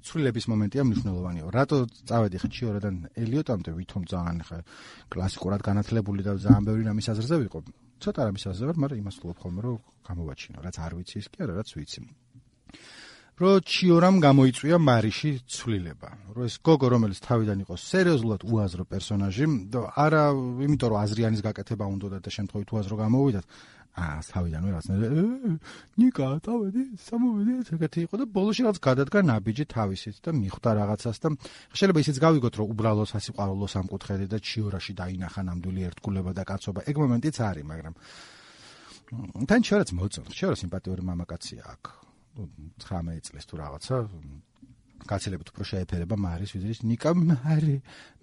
ცვლილების მომენტია მნიშვნელოვანია. რატო წავედი ხე ჩიორადან ელიოტამდე, ვითომ ძალიან ხე კლასიკურად განათლებული და ძალიან ბევრი რამის აზრზე ვიყო. ცოტა რამის აზრზე ვარ, მაგრამ იმას ვთქვი ხოლმე, რომ გამოვაჩინო, რაც არ ვიცი ის კი არა, რაც ვიცი. რომ ჩიორამ გამოიწვია მარიში ცვლილება. რომ ეს გოგო, რომელიც თავიდან იყო სერიოზულად უაზრო პერსონაჟი, არა იმიტომ რომ აზრიანის გაკეთება უნდოდა და შემთხვევით უაზრო გამოვიდათ, თავიდანვე რაღაცნაირად ნიკა, წავედი, სამოვედი, ეგეთი იყო და ბოლოში რაც გადადგა ნაბიჯი თავისით და მიხვდა რაღაცას და შეიძლება ისიც გავიგოთ, რომ უბრალოდ სასიყვარულო სამკუთხედი და ჩიორაში დაინახა ნამდვილი ერთგულება და კაცობა. ეგ მომენტიც არის, მაგრამ თან ჩიორაც მოწონს. ჩიორა სიმპათიური მამაკაცია აქ. 19 წლის თუ რაღაცა გაცილებით უფრო შეეფერება მარის ვიზრის ნიკა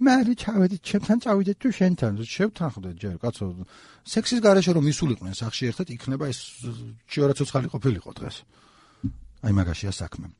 მარი ჩავედით ჩემთან წავიდეთ თუ შენთან შევთანხმდეთ ჯერ კაცო სექსის გარეშე რომ ისულიყვნენ სახში ერთად იქნება ეს ჩიორა ცოცხალი ყოფილიყო დღეს აი მაგაშია საქმე